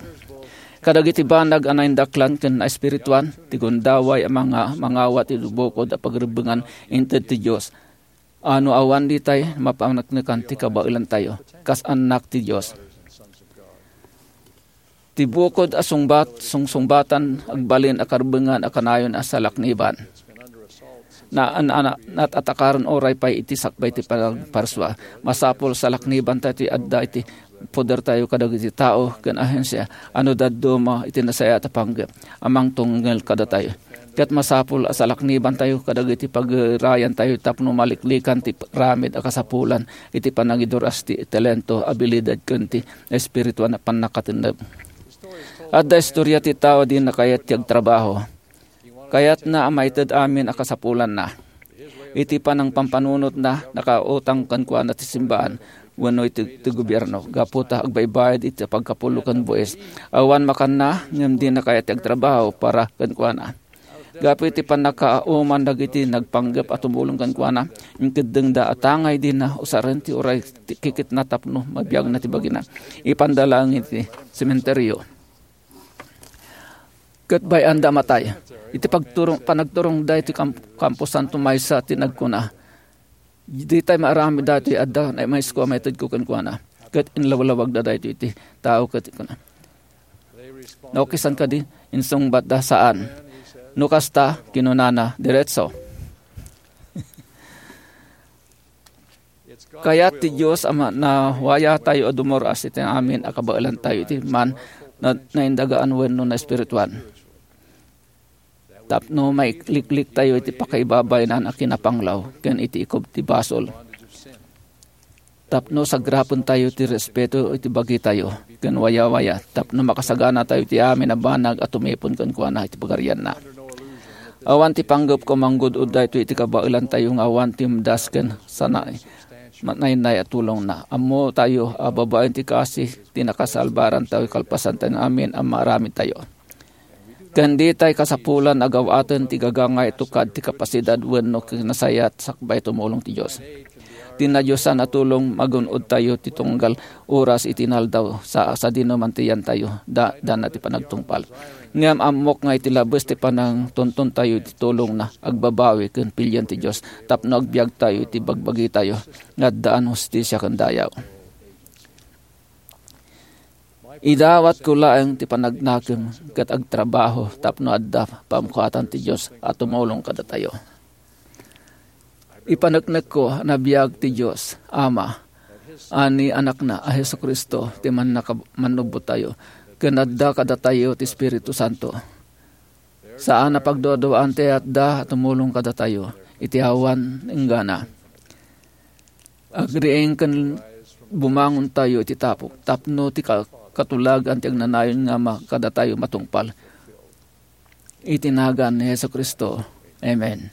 Kadagiti banag a naindaklan ken naespirituan, ti gundaway a manga-, mangawat iti bukod a pagrebbengan inted ti Dios. A no awan ditay, mapaneknekan ti kabaelantayo, kas annak ti Dios. Ti bukod a sungbat, sungsungbatan, agbalin a karebbengan a kanayon a salakniban. Na, na, na, natatakaren uray pay iti sakbay ti panagparsua. Masapul salaknibantayo ti adda iti podertayo kadagiti tao ken ahensia a no dadduma iti nasayaat a panggep a mangtunggal kadatayo. Ket masapul a salaknibantayo kadagiti pagirayantayo tapno maliklikan ti ramid a kasapulan iti panangiduras ti talento, abilidad ken ti espirituan a pannakatendem. Adda istoria ti tao a dina kayat ti agtrabaho. Kayatna a maited amin a kasapulanna. Iti panangpampanunotna, nakautang kenkuana ti simbaan wenno iti, ti gobierno, gapu ta agbaybayad iti pagkapulo ken buis. Awan makanna, ngem dina kayat ti agtrabaho para kenkuana. Gapu iti pannakauman dagiti nagpanggep a tumulong kenkuana, inkeddengda a tangay dina usaren ti uray ti kikitna tapno mabiagna ti bagina. Ipanda laeng iti sementerio. Ket bay-anda a matay. Iti pagturong, panagturongda iti kam-, kamposanto, maysa ti nagkuna, "Ditay maaramid daytoy adda, namaysko a maitedko kenkuana." Ket inlawlawagda daytoy iti tao ket kuna, "Naokisan kadi?" Insungbatda, "Saan." No kasta, kinunana, "Diretso." Kayat ti Dios a ma-, nawayatayo a dumur-as iti amin a kabaelantayo iti man na-, naindagaan wenno naespirituan. Tapno mailikliktayo iti pakaibabayanan a kinapanglaw ken iti ikub ti basol. Tapno sagrapentayo ti respeto iti bagitayo ken wayawaya, tapno makasaganatayo iti amin a banag a tumipon kenkuana iti pagarianna. Awan ti panggepko a manggud-od daytoy iti kabaelantayo nga awan ti umdas ken sana-, naynay a tulongna. Ammotayo a babaen ti kaasi ti nakasalbarantayo kalpasan ti amin a maaramidtayo. Ken ditay kasapulan a gawaten ti gagangay tukad ti kapasidad wenno kinasayat sakbay tumulong ti Dios. Ti nadiosan a tulong magun-odtayo ti tunggal oras iti inaldaw sa sadino man ti yantayo, da-, dana ti panagtungpal. Ngem ammok nga iti labes ti panangtuntontayo iti tulongna, agbabawi ken pilien ti Dios tapno agbiagtayo iti bagbagitayo nga addaan hustisia ken dayaw. Idawatko laeng ti panagnakem ket agtrabaho tapno adda pamkaatan ti Dios a tumulong kadatayo. Ipaneknekko a nabiag ti Dios Ama a ni Anakna a Jesu-Cristo ti mannaka-, mannubbottayo, ken adda kadatayo ti Espiritu Santo. Saan a pagduaduaan ti ayatda a tumulong kadatayo iti awan inggana. Agriing ken bumangontayo iti tapok tapno ti ka-, katulagan ti agnanayon nga ma-, kadatayo matungpal. Iti nagan ni Jesu-Cristo. Amen.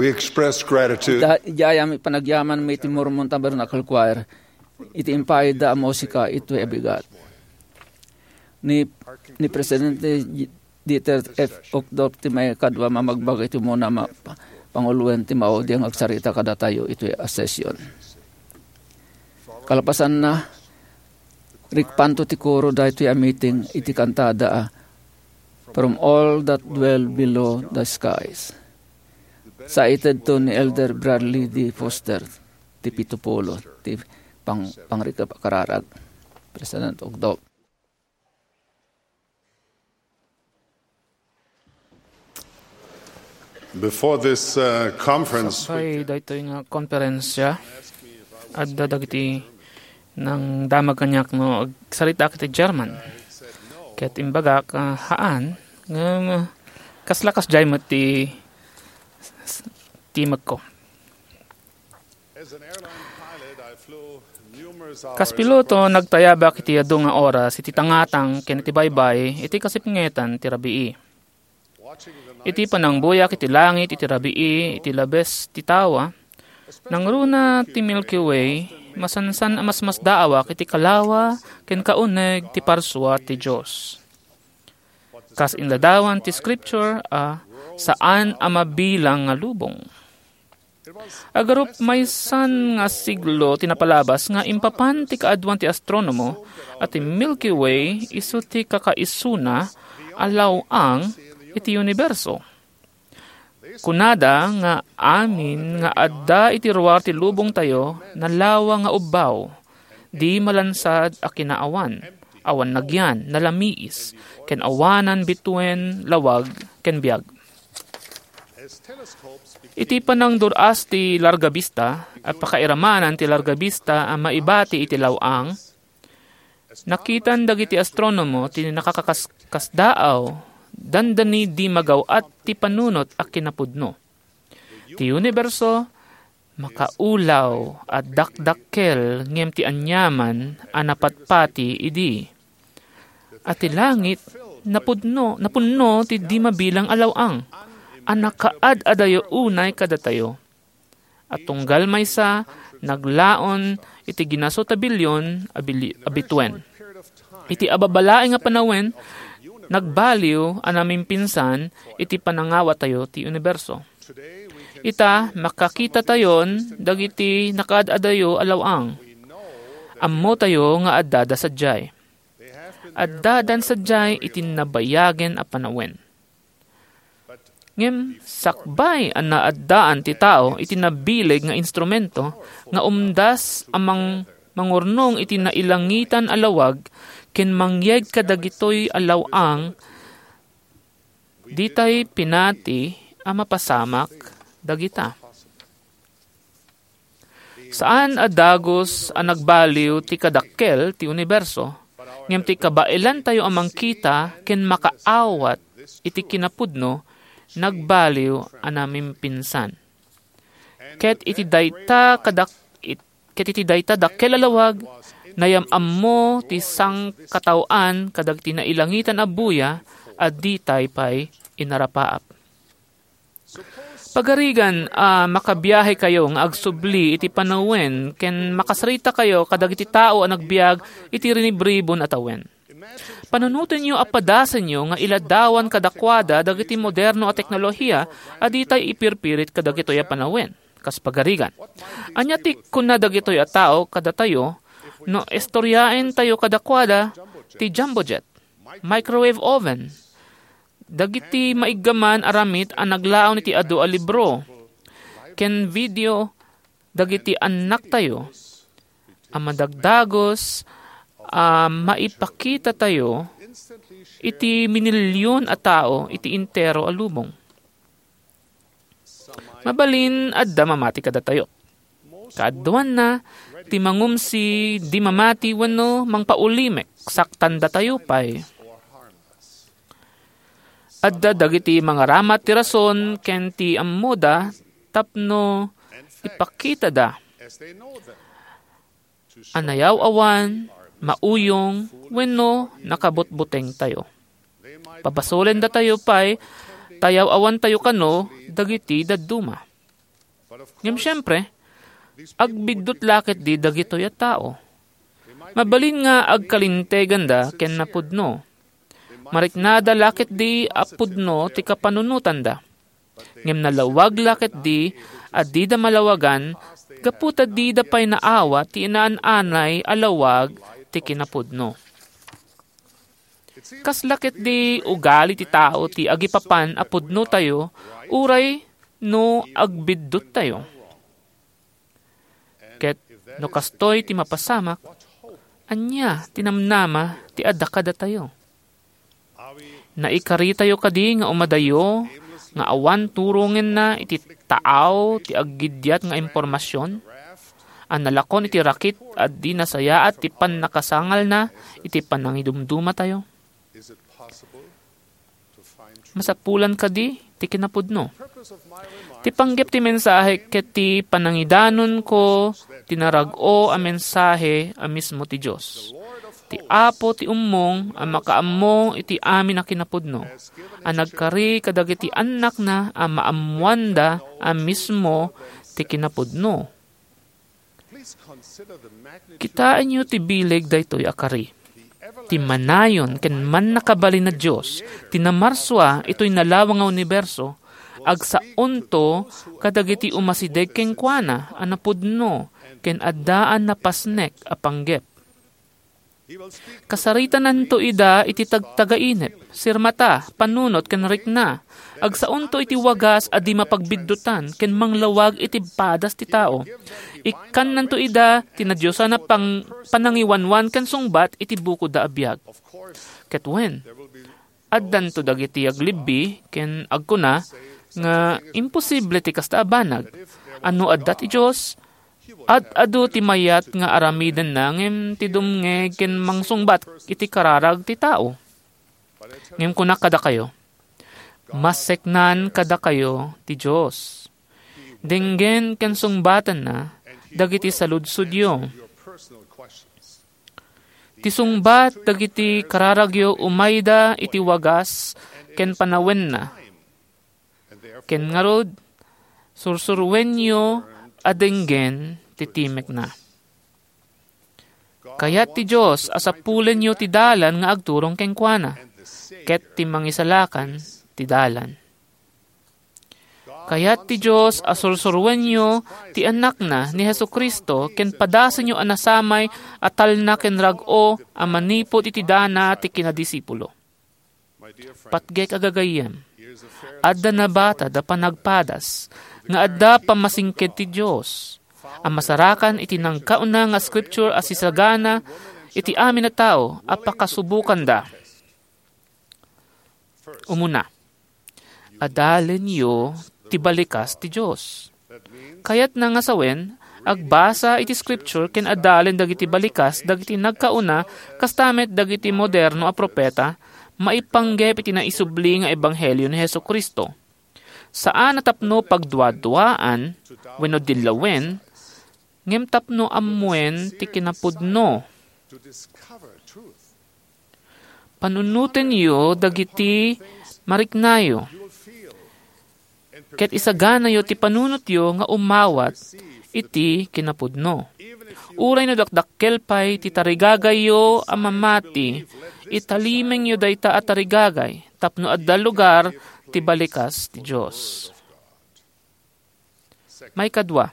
We express gratitude. Da, idiay a panagyaman mi ti Mormon Tabernacle Choir, iti impayda a musika itoy a bigat. Ni, ni Presidente Dieter F. Uchtdorf ti maikadua a mamagbaga iti umuna a ma-, pa-, panguloen ti maudi nga agsarita kadatayo itoy a session. Kalpasanna, rikpanto ti koro daytoy a meeting iti kantada a From All That Dwell Below the Skies. Saitedto ni Elder Bradley D. Foster, ti pito pulo, ti pang-, pangrikep a kararag. President Ugdok. Before this, uh, conference, Sakbay daytoy nga konferensya, adda dagiti nangdamag kaniak no agsaritaak iti German. Ket imbagak, ah, haan, ngem, ah, kasla kasdiay met ti, ti timekko. Kas piloto, nagtayabak iti adu nga oras iti tangatang ken iti baybay iti kasipngetan ti rabii. Iti panangbuyak iti langit iti rabii iti labes ti tawa, nangruna ti Milky Way, masansan a masmasdaawak iti kalawa ken kauneg ti parsua ti Dios. Kas inladawan ti Scripture a saan a mabilang nga lubong. Agarup maysan nga siglo ti napalabas nga impapan ti kaaduan ti astronomo a ti Milky Way isu ti kakaisuna a law-ang iti uniberso. Kunada nga amin nga adda iti ruar ti lubongtayo nalawa nga ubbaw, di malansad a kinaawan, awan nagyan, nalamiis, ken awanan bituen lawag ken biag. Iti panangdur-as ti larga bista, a pakairamanan ti larga bista a maibati iti law-ang, nakitan dagiti astronomo ti nakakakaskasdaaw, dandani di magaw-at ti panunot a kinapudno. Ti uniberso, makaulaw a dakdakkel ngem ti aniaman a napatpati idi. A ti langit, napudno, napunno ti di mabilang a law-ang, a nakaad-adayo unay kadatayo. A tunggal maysa, naglaon iti ginaso ta bilyon a bili-, a bituen. Iti ababalaeng a panawen, nagbaliw a namimpinsan iti panangawatayo ti uniberso. Ita, makakitatayon dagiti nakaad-adayo a law-ang. Ammotayo nga addada sadiay. Addadan sadiay iti nabayagen a panawen. Ngem sakbay a naaddaan ti tao iti nabileg nga instrumento nga umdas a mang-, mangurnong iti nailangitan a lawag ken mangyeg kadagitoy a law-ang, ditay pinati a mapasamak dagita. Saan a dagus a nagbaliw ti kadakkel ti uniberso, ngem ti kabaelantayo a mangkita ken makaawat iti kinapudno, nagbaliw a namimpinsan. Ket iti dayta kadak-, it-, ket iti dayta dakkel a lawag, nayam-ammo ti sangkataoan kadagiti nailangitan a buya a ditay pay inarapaap. Pagarigan a makabiahekayo nga agsubli iti panawen ken makasritakayo kadagiti tao a nagbiag iti rinibribon a tawen. Panunotenyo a padasenyo nga iladawan kadakuada dagiti moderno a teknolohiya a ditay ipirpirit kadagitoy a panawen. Kas pagarigan, ania ti kuna dagitoy a tao kadatayo no istoryaentayo kadakuada ti jumbo jet, microwave oven, dagiti maiggaman a ramit a naglaon iti adu a libro ken video dagiti annaktayo a madagdagus a maipakitatayo iti minilion a tao iti entero a lubong. Mabalin adda mamati kadatayo. Kaaduanna, ti mangumsi, di mamati wenno mangpaulimek, saktandatayo pay. Adda dagiti mangaramat ti rason ken ti ammoda tapno ipakitada a nayaw-awan, mauyong, wenno nakabutbutengtayo. Pabasolendatayo pay ta yaw-awantayo kano dagiti dadduma. Ngem siempre, agbiddut la ketdi dagitoy a tao. Mabalin nga agkalinteganda ken napudno. Mariknada la ketdi a pudno ti kapanunotanda. Ngem nalawag la ketdi a dida malawagan gapu ta dida pay naawat ti inaan-anay a lawag ti kinapudno. Kasla ketdi ugali ti tao ti agipapan a pudnotayo uray no agbidduttayo. Ket no kastoy ti mapasamak, ania ti namnama ti adda kadatayo? Naikaritayo kadi nga umadayo nga awan turongenna iti taaw ti aggiddiat nga impormasion a nalakon iti rakit a di nasayaat ti pannakasangalna iti panangidumdumatayo? Masapulan kadi ti kinapudno? Ti panggep ti mensahe ket ti panangidanonko ti narag-o a mensahe a mismo ti Dios. Ti Apo ti ummong a makaammo iti amin a kinapudno, a nagkari kadagiti annakna a maammoanda a mismo ti kinapudno. Kitaenyo ti bileg daytoy a kari. Ti manayon ken mannakabalin a Dios, ti namarsua itoy nalawang nga uniberso, agsaonto kadagiti umasideg kenkuana a napudno ken addaan napasnek a panggep. Kasaritananto ida iti tagtagainep, sirmata, panunot, ken rikna. Agsaonto iti wagas a di mapagbiddutan ken manglawag iti padas ti tao. Ikkannanto ida ti nadiosan a pang-, panangiwanwan ken sungbat iti bukodda a biag. Ket wen, addanto dagiti aglibbi ken agkuna nga imposible ti kasta a banag. A no adda ti Dios, ad-adu ti mayat nga aramidenna ngem ti dumngeg ken mangsungbat iti kararag ti tao. Ngem kunak kadakayo, maseknan kadakayo ti Dios. Denggen ken sungbatanna dagiti saludsodyo. Ti sungbat dagiti kararagyo umayda iti wagas ken panawenna. Ken ngarud, sursuruenyo a denggen ti timekna. Kayat ti Dios a sapulenyo ti dalan nga agturong kenkuana, ket ti mangisalakan ti dalan. Kayat ti Dios a sursuruenyo ti Anakna ni Jesu-Cristo ken padasenyo a nasamay a talna ken rag-o a manipud iti dana ti kinadisipulo. Patgek a gagayyem, adda nabatad a panagpadas nga adda pammasingked ti Dios a masarakan iti nagkauna nga scripture a sisagana iti amin a tao a pakasubokanda. Umuna, adalenyo ti balikas ti Dios. Kayatna nga sawen, agbasa iti scripture ken adalen dagiti balikas dagiti nagkauna, kasta met dagiti moderno a propeta, maipanggep iti naisubli nga ebanghelio ni Jesu-Cristo. Saan a tapno pagduaduaan wenno dillawen, ngem tapno ammuen ti kinapudno. Panunotenyo dagiti mariknayo, ket isaganayo ti panunotyo nga umawat iti kinapudno. Uray no dakdakkel pay ti tarigagayyo a mamati, italimengyo dayta a tarigagay tapno adda lugar ti balikas ti Dios. Maikadua,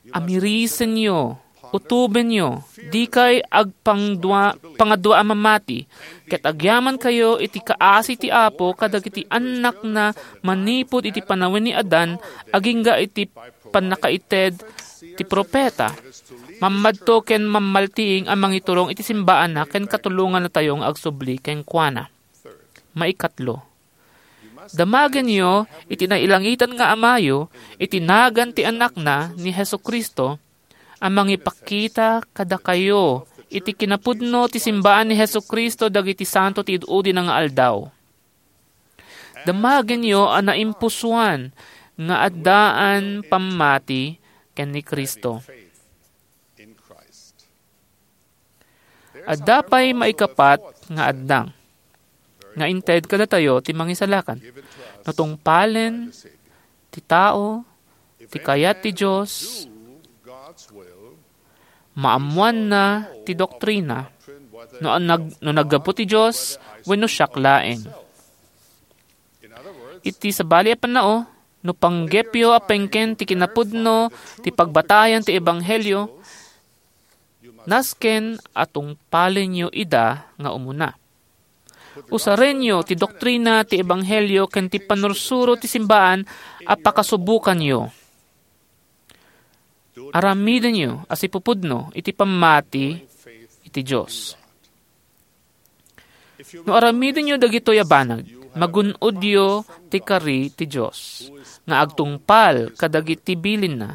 amirisenyo, utobenyo, dikay agpangdua-, pangadua a mamati, ket agyamankayo iti kaasi ti Apo kadagiti annakna manipud iti panawen ni Adan agingga iti pannakaited ti propeta. Mammadto ken mammaltiing a mangiturong iti simbaanna ken katulongannatayo nga agsubli kenkuana. Maikatlo, damagenyo iti nailangitan nga Amayo iti nagan ti Anakna ni Jesu-Cristo a mangipakita kadakayo iti kinapudno ti simbaan ni Jesu-Cristo dagiti santo ti ud-udina nga aldaw. Damagenyo a naimpusoan nga addaan pammati ken ni Cristo. Adda pay maikapat nga addang nga inted kadatayo ti Mangisalakan. No tungpalen ti tao Ti kayat ti Dios, maammoanna ti doktrina, no nag-, no naggapu ti Dios wenno siak laeng. Iti sabali a pannao, no panggepyo a pengken ti kinapudno ti pagbatayan ti ebanghelio, nasken a tungpalenyo ida nga umuna. Usarenyo ti doktrina ti ebanghelio ken ti pannursuro ti simbaan a pakasubokanyo. Aramidenyo a sipupudno iti pammati iti Dios. No aramidenyo dagitoy a banag, magun-odyo ti kari ti Dios nga agtungpal kadagiti bilinna,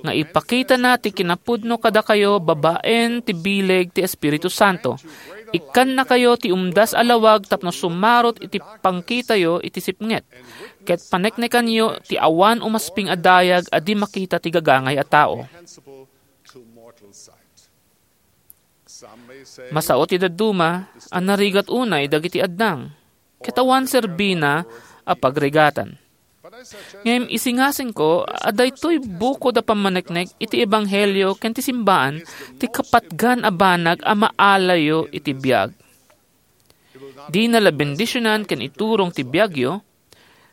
nga ipakitana ti kinapudno kadakayo babaen ti bileg ti Espiritu Santo. Ikkannakayo ti umdas a lawag tapno sumarot iti pangkitayo iti sipnget, ket paneknekanyo ti awan umasping a dayag a di makita ti gagangay a tao. Masao ti dadduma a narigat unay dagiti addang, ket awan serbina a pagrigatan. Ngem isingasingko a daytoy bukod a pammaneknek iti ebanghelio ken ti simbaan ti kapatgan a banag a maalayo iti biag. Dina la bendisionan ken iturong ti biagyo,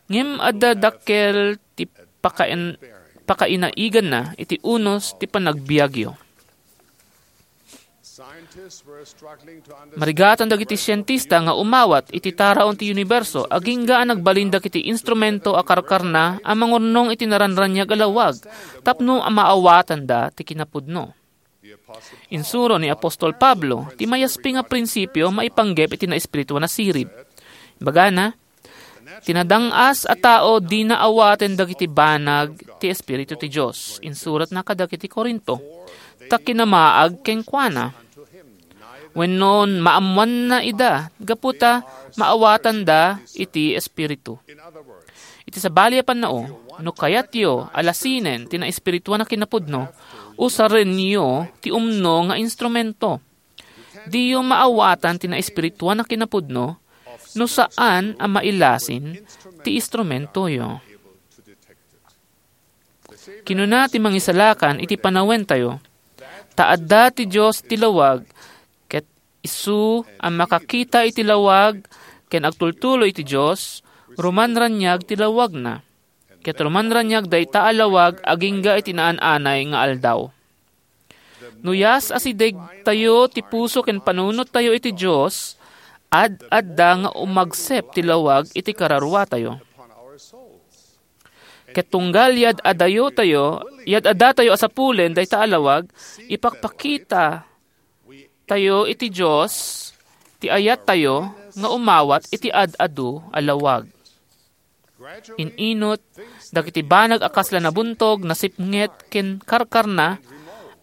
ngem adda dakkel ti pakain-, pakainaiganna iti unos ti panagbiagyo. Marigatan dagiti sientista nga umawat iti taraon ti uniberso agingga a nagbalin dagiti instrumento a karkarna a mangurnong iti naranraniag a lawag tapno maawatanda ti kinapudno. Insuro ni apostol Pablo ti mayasping a prinsipio maipanggep iti naespirituan a sirib. Imbagana, ti nadang-as a tao dina awaten dagiti banag ti Espiritu ti Dios. Insuratna kadagiti Corinto, ta kinamaag kenkuana. Wenno maammoanna ida, gapu ta maawatanda iti Espiritu. Iti sabali a pannao, no kayatyo a lasinen ti naespirituan a kinapudno, usarenyo ti umno nga instrumento. Diyo maawatan ti naespirituan a kinapudno no saan a mailasin ti instrumentoyo. Kinuna ti Mangisalakan iti panawentayo, ta adda ti Dios ti lawag, ket isu a makakita iti lawag ken agtultuloy iti Dios, rumanraniag ti lawagna. Ket rumanraniag dayta a lawag agingga iti naan-anay nga aldaw. No yas a sidegtayo ti puso ken panunottayo iti Dios, ad-adda nga umagsep ti lawag iti kararuatayo. Ket tunggal yad-adayotayo, yad-addatayo a sapulen dayta a lawag, ipakpakita tayo iti Dios ti ayattayo nga umawat iti ad-adu a lawag. In-inot, dagiti banag a kasla nabuntog, nasipnget, ken karkarna,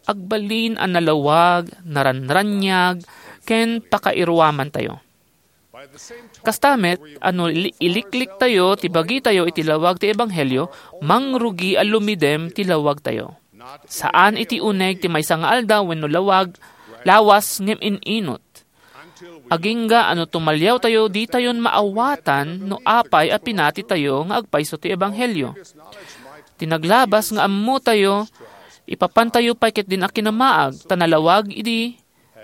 agbalin a nalawag, naranraniag, ken pakairuamantayo. Kasta met, a no ili-, ilikliktayo ti bagitayo iti lawag ti ebanghelio, mangrugi a lumidem ti lawagtayo. Saan iti uneg ti maysa nga aldaw wenno lawag, lawas ngem in-inot. Agingga a no tumaliawtayo, ditayon maawatan no apay a pinatitayo nga agpayso ti ebanghelio. Ti naglabas nga ammotayo, ipapantayo pay ketdin a kinamaag, ta nalawag idi,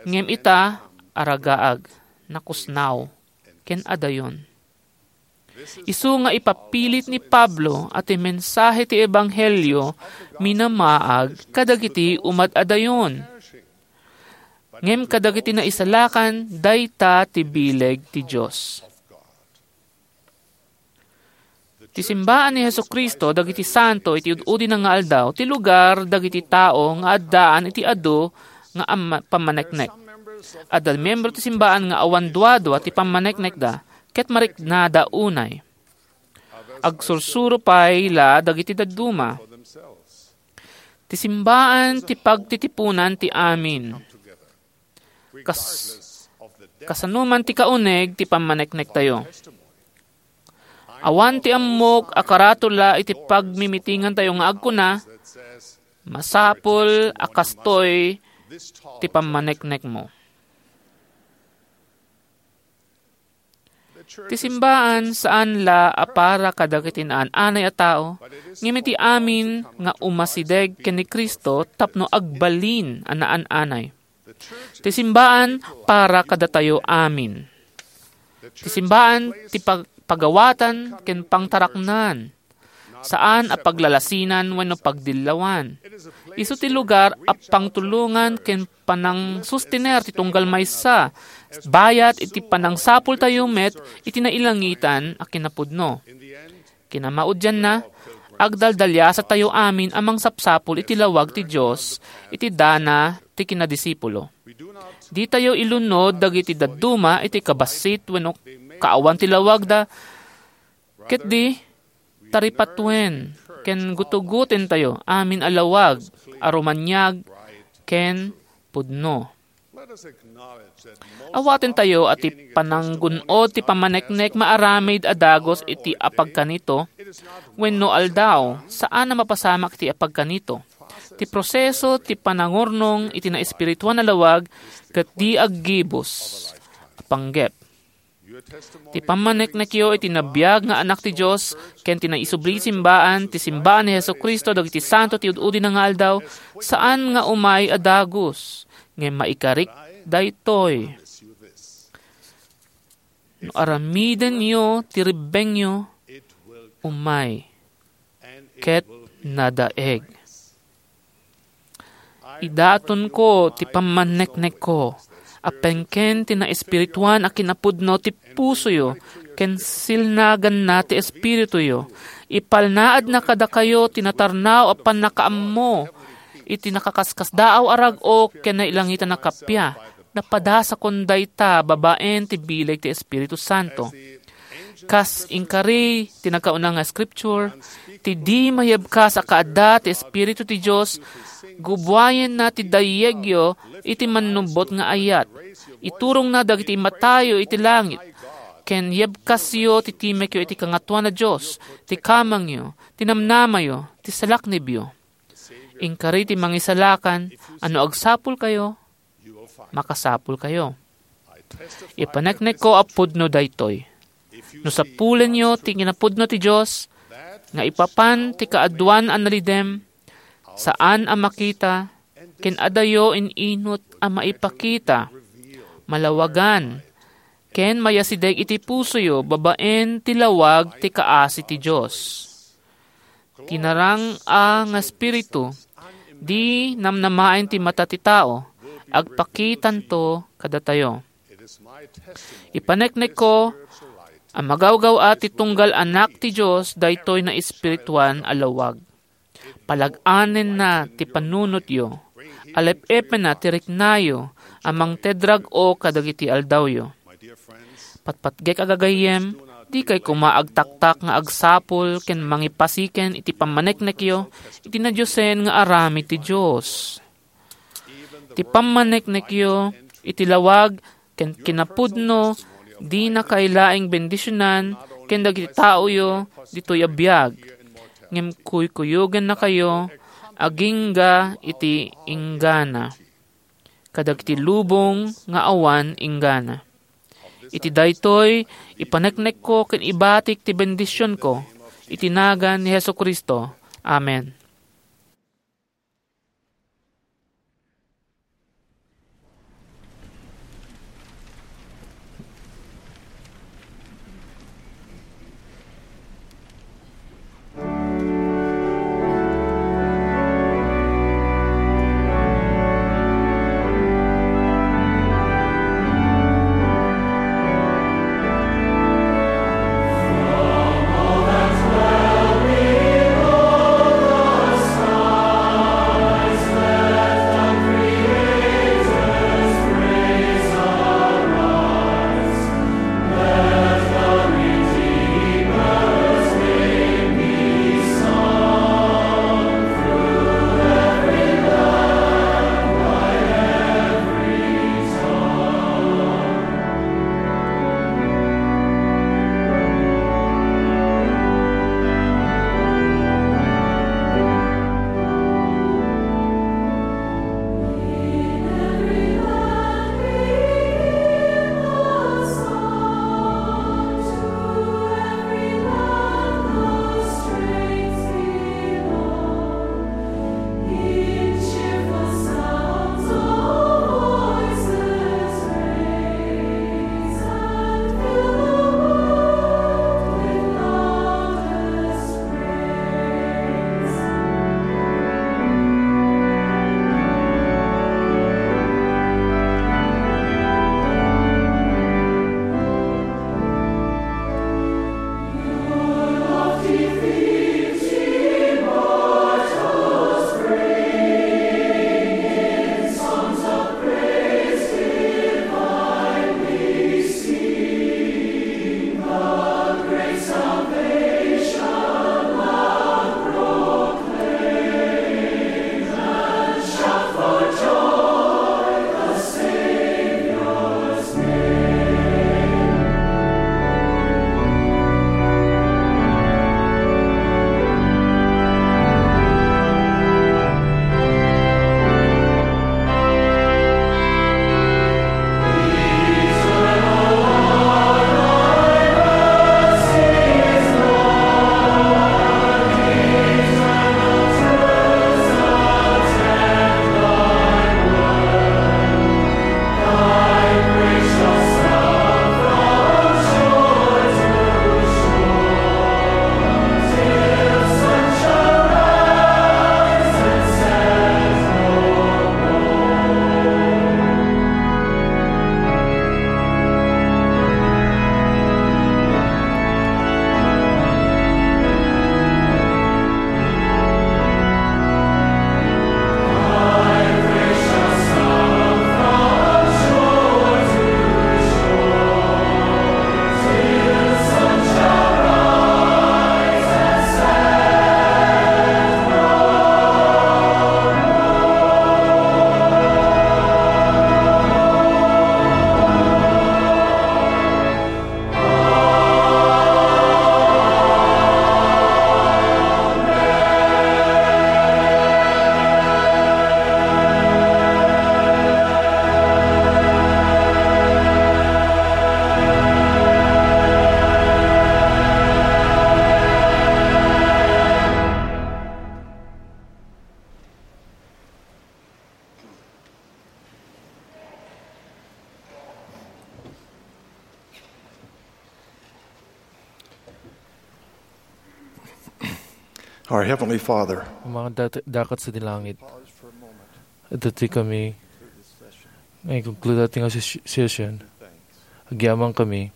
ngem ita, aragaag, nakusnaw, ken adayon. Isu nga ipapilit ni Pablo a ti mensahe ti ebanghelio minamaag kadagiti umad-adayon. Ngem kadagiti naisalakan, dayta ti bileg ti Dios. Ti simbaan ni Jesu-Cristo dagiti santo iti ud-udina nga aldaw, ti lugar dagiti tao nga addaan iti adu nga amma-, pammaneknek. Adda miyembro ti simbaan nga awan duadua ti pammaneknekda, ket mariknada unay. Agsursuro pay la dagiti dadduma. Ti simbaan ti pagtitipunan ti amin. Kas-, kasano man ti kauneg ti pammaneknektayo. Awan ti ammok a karatula iti pagmimitingantayo nga agkuna, "Masapul a kastoy ti pammaneknekmo." Ti simbaan saan la a para kadagiti naan-anay a tao, ngem iti amin nga umasideg ken ni Cristo tapno agbalin a naan-anay. Ti simbaan para kadatayo amin. Ti simbaan ti pag-, pagawatan ken pangtaraknan. Saan a paglalasinan wenno pagdillawan. Isu ti lugar a pangtulongan ken panangsustener ti tunggal maysa, bayat iti panangsapultayo met iti nailangitan a kinapudno. Kinamaudianna, agdaldaliasatayo amin a mangsapsapul iti lawag ti Dios iti dana ti kinadisipulo. Ditayo ilunod dagiti dadduma iti kabassit wenno kaawan ti lawagda, ket di taripatuen ken gutugotentayo amin a lawag a rumaniag ken pudno. Awatentayo a ti pananggun-od ti pammaneknek maaramid a dagus iti apagkanito wenno aldaw, saan a mapasamak iti apagkanito. Ti proseso ti panangurnong iti naespirituan a lawag ket di aggibus a panggep. Ti pammaneknekyo iti nabiag nga Anak ti Dios ken ti naisubli simbaan, ti simbaan ni Jesu-Cristo dagiti santo ti ud-udina nga aldaw, saan nga umay a dagus, ngem maikarik daytoy. No aramidenyo ti rebbengyo, umay ket nadaeg. Idatonko ti pammanneknekko a pengken ti naespirituan a kinapudno ti pusoyo ken silnaganna ti espirituyo. Ipalnaadna kadakayo ti natarnaw a pannakaammo iti nakaskaskasdaaw a rag-o ken nailangitan a kappia. Napadasakon dayta babaen ti bileg ti Espiritu Santo. Kas inkari ti nagkauna nga scripture, ti di mayebkas a kaadda ti Espiritu ti Dios, gubuayenna ti dayyegyo iti mannubbot nga ayat. Iturongna dagiti immatayo iti langit, ken yebkasyo ti timekyo iti Kangatoan a Dios, ti kamangyo, ti namnamayo, ti salaknibyo. Inkari ti Mangisalakan a no agsapulkayo, makasapulkayo. Ipaneknekko a pudno daytoy. No sapulenyo ti kinapudno ti Dios, nga ipapan ti kaaduan a nalidem, saan a makita, ken adayo in-inut a maipakita, malawagan, ken mayasideg iti pusoyo babaen ti lawag ti kaasi ti Dios. Ti narang-a nga espiritu, di namnamaen ti mata ti tao, agpakitanto kadatayo. Ipaneknekko a magawgaw-at ti tunggal Anak ti Dios daytoy naespirituan a lawag. Palag-anenna ti panunotyo, alep-epenna ti riknayo a mangted rag-o kadagiti aldawyo. Patpatgek a gagayyem, dikay koma agtaktak nga agsapul ken mangipasiken iti pammaneknekyo iti nadiosen nga aramid ti Dios. Ti pammaneknekyo iti lawag ken kinapudno, di nakailaing bendisionan ken dagiti taoyo ditoy a biag, ngem kuykuyogennakayo agingga iti inggana kadagiti lubong nga awan inggana. Iti daytoy, ipaneknekko ken ibatik ti bendisionko iti nagan ni Jesu-Cristo. Amen. Our Heavenly Father, Amang dat-, dakat sa di langit. Adda ti kami nga ikonkluda ti nga ses-, session. Agyaman kami.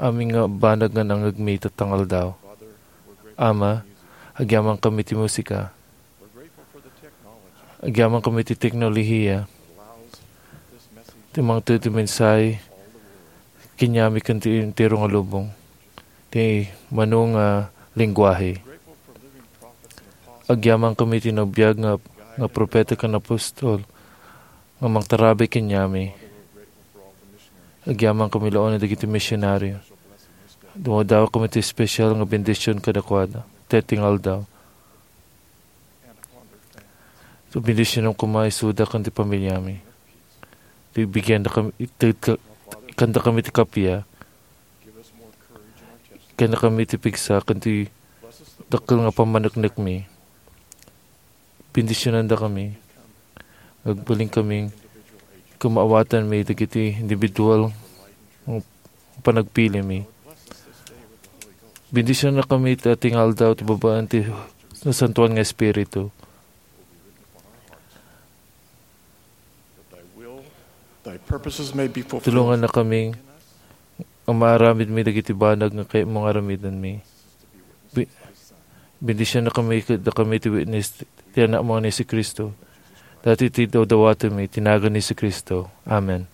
Amin nga banag nga nangngegmi ita nga aldaw. Ama, agyaman kami ti musika. Agyaman kami ti teknolohiya. Ti mangted ti mensahe, kaniami ken ti entero nga lubong. Ti mano nga lenguahe. Agyaman kami ti nabiag nga, nga propeta ken apostol nga mangtarabay kaniami. Agyaman kami laeng dagiti misionario. Dumadawa kami ti espesyal nga bendision kadakuada. Ti nga aldaw. So, bendisionam koma isuda ken ti pamiliami. Ti bigyan da kami, ti, ka-, ikkan da kami ti kappia. Ikkan da kami ti pigsa ken ti dakkel nga pammaneknekmi. Bendisionan da kami. Agbalin kami ken maawatanmi dagiti individual nga panagpilimi. Bendisionan da kami ita nga aldaw ti babaen ti Nasantoan nga Espiritu. Thy purposes may be fulfilled. Tulongan na kami nga maaramidmi dagiti banag nga kayatmo nga aramidenmi. Bi-, bendisionan da kami, da kami ti witness ti Anakmo nga ni Jesu-Cristo. Dayta ti dawdawatenmi, iti nagan ni Jesu-Cristo. Amen.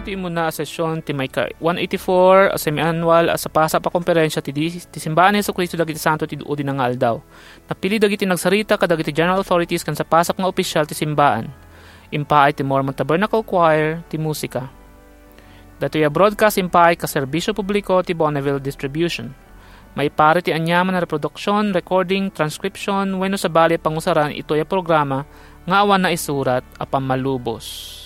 Ti immuna a session ti maika one eighty-four a semiannual a sapasap a komperensia ti di-, ti Simbaan ni Jesu-Cristo dagiti Santo ti Udi nga Aldaw. Napili dagiti nagsarita kadagiti general authorities ken sapasap nga opisyal ti simbaan. Impaay ti Mormon Tabernacle Choir ti musika. Datoy a broadcast impaay ka serbisyo publiko ti Bonneville Distribution. Maipari ti aniaman a reproduction, recording, transcription, wenno sabali a pangusaran itoy a programa nga awan naisurat a pammalubos.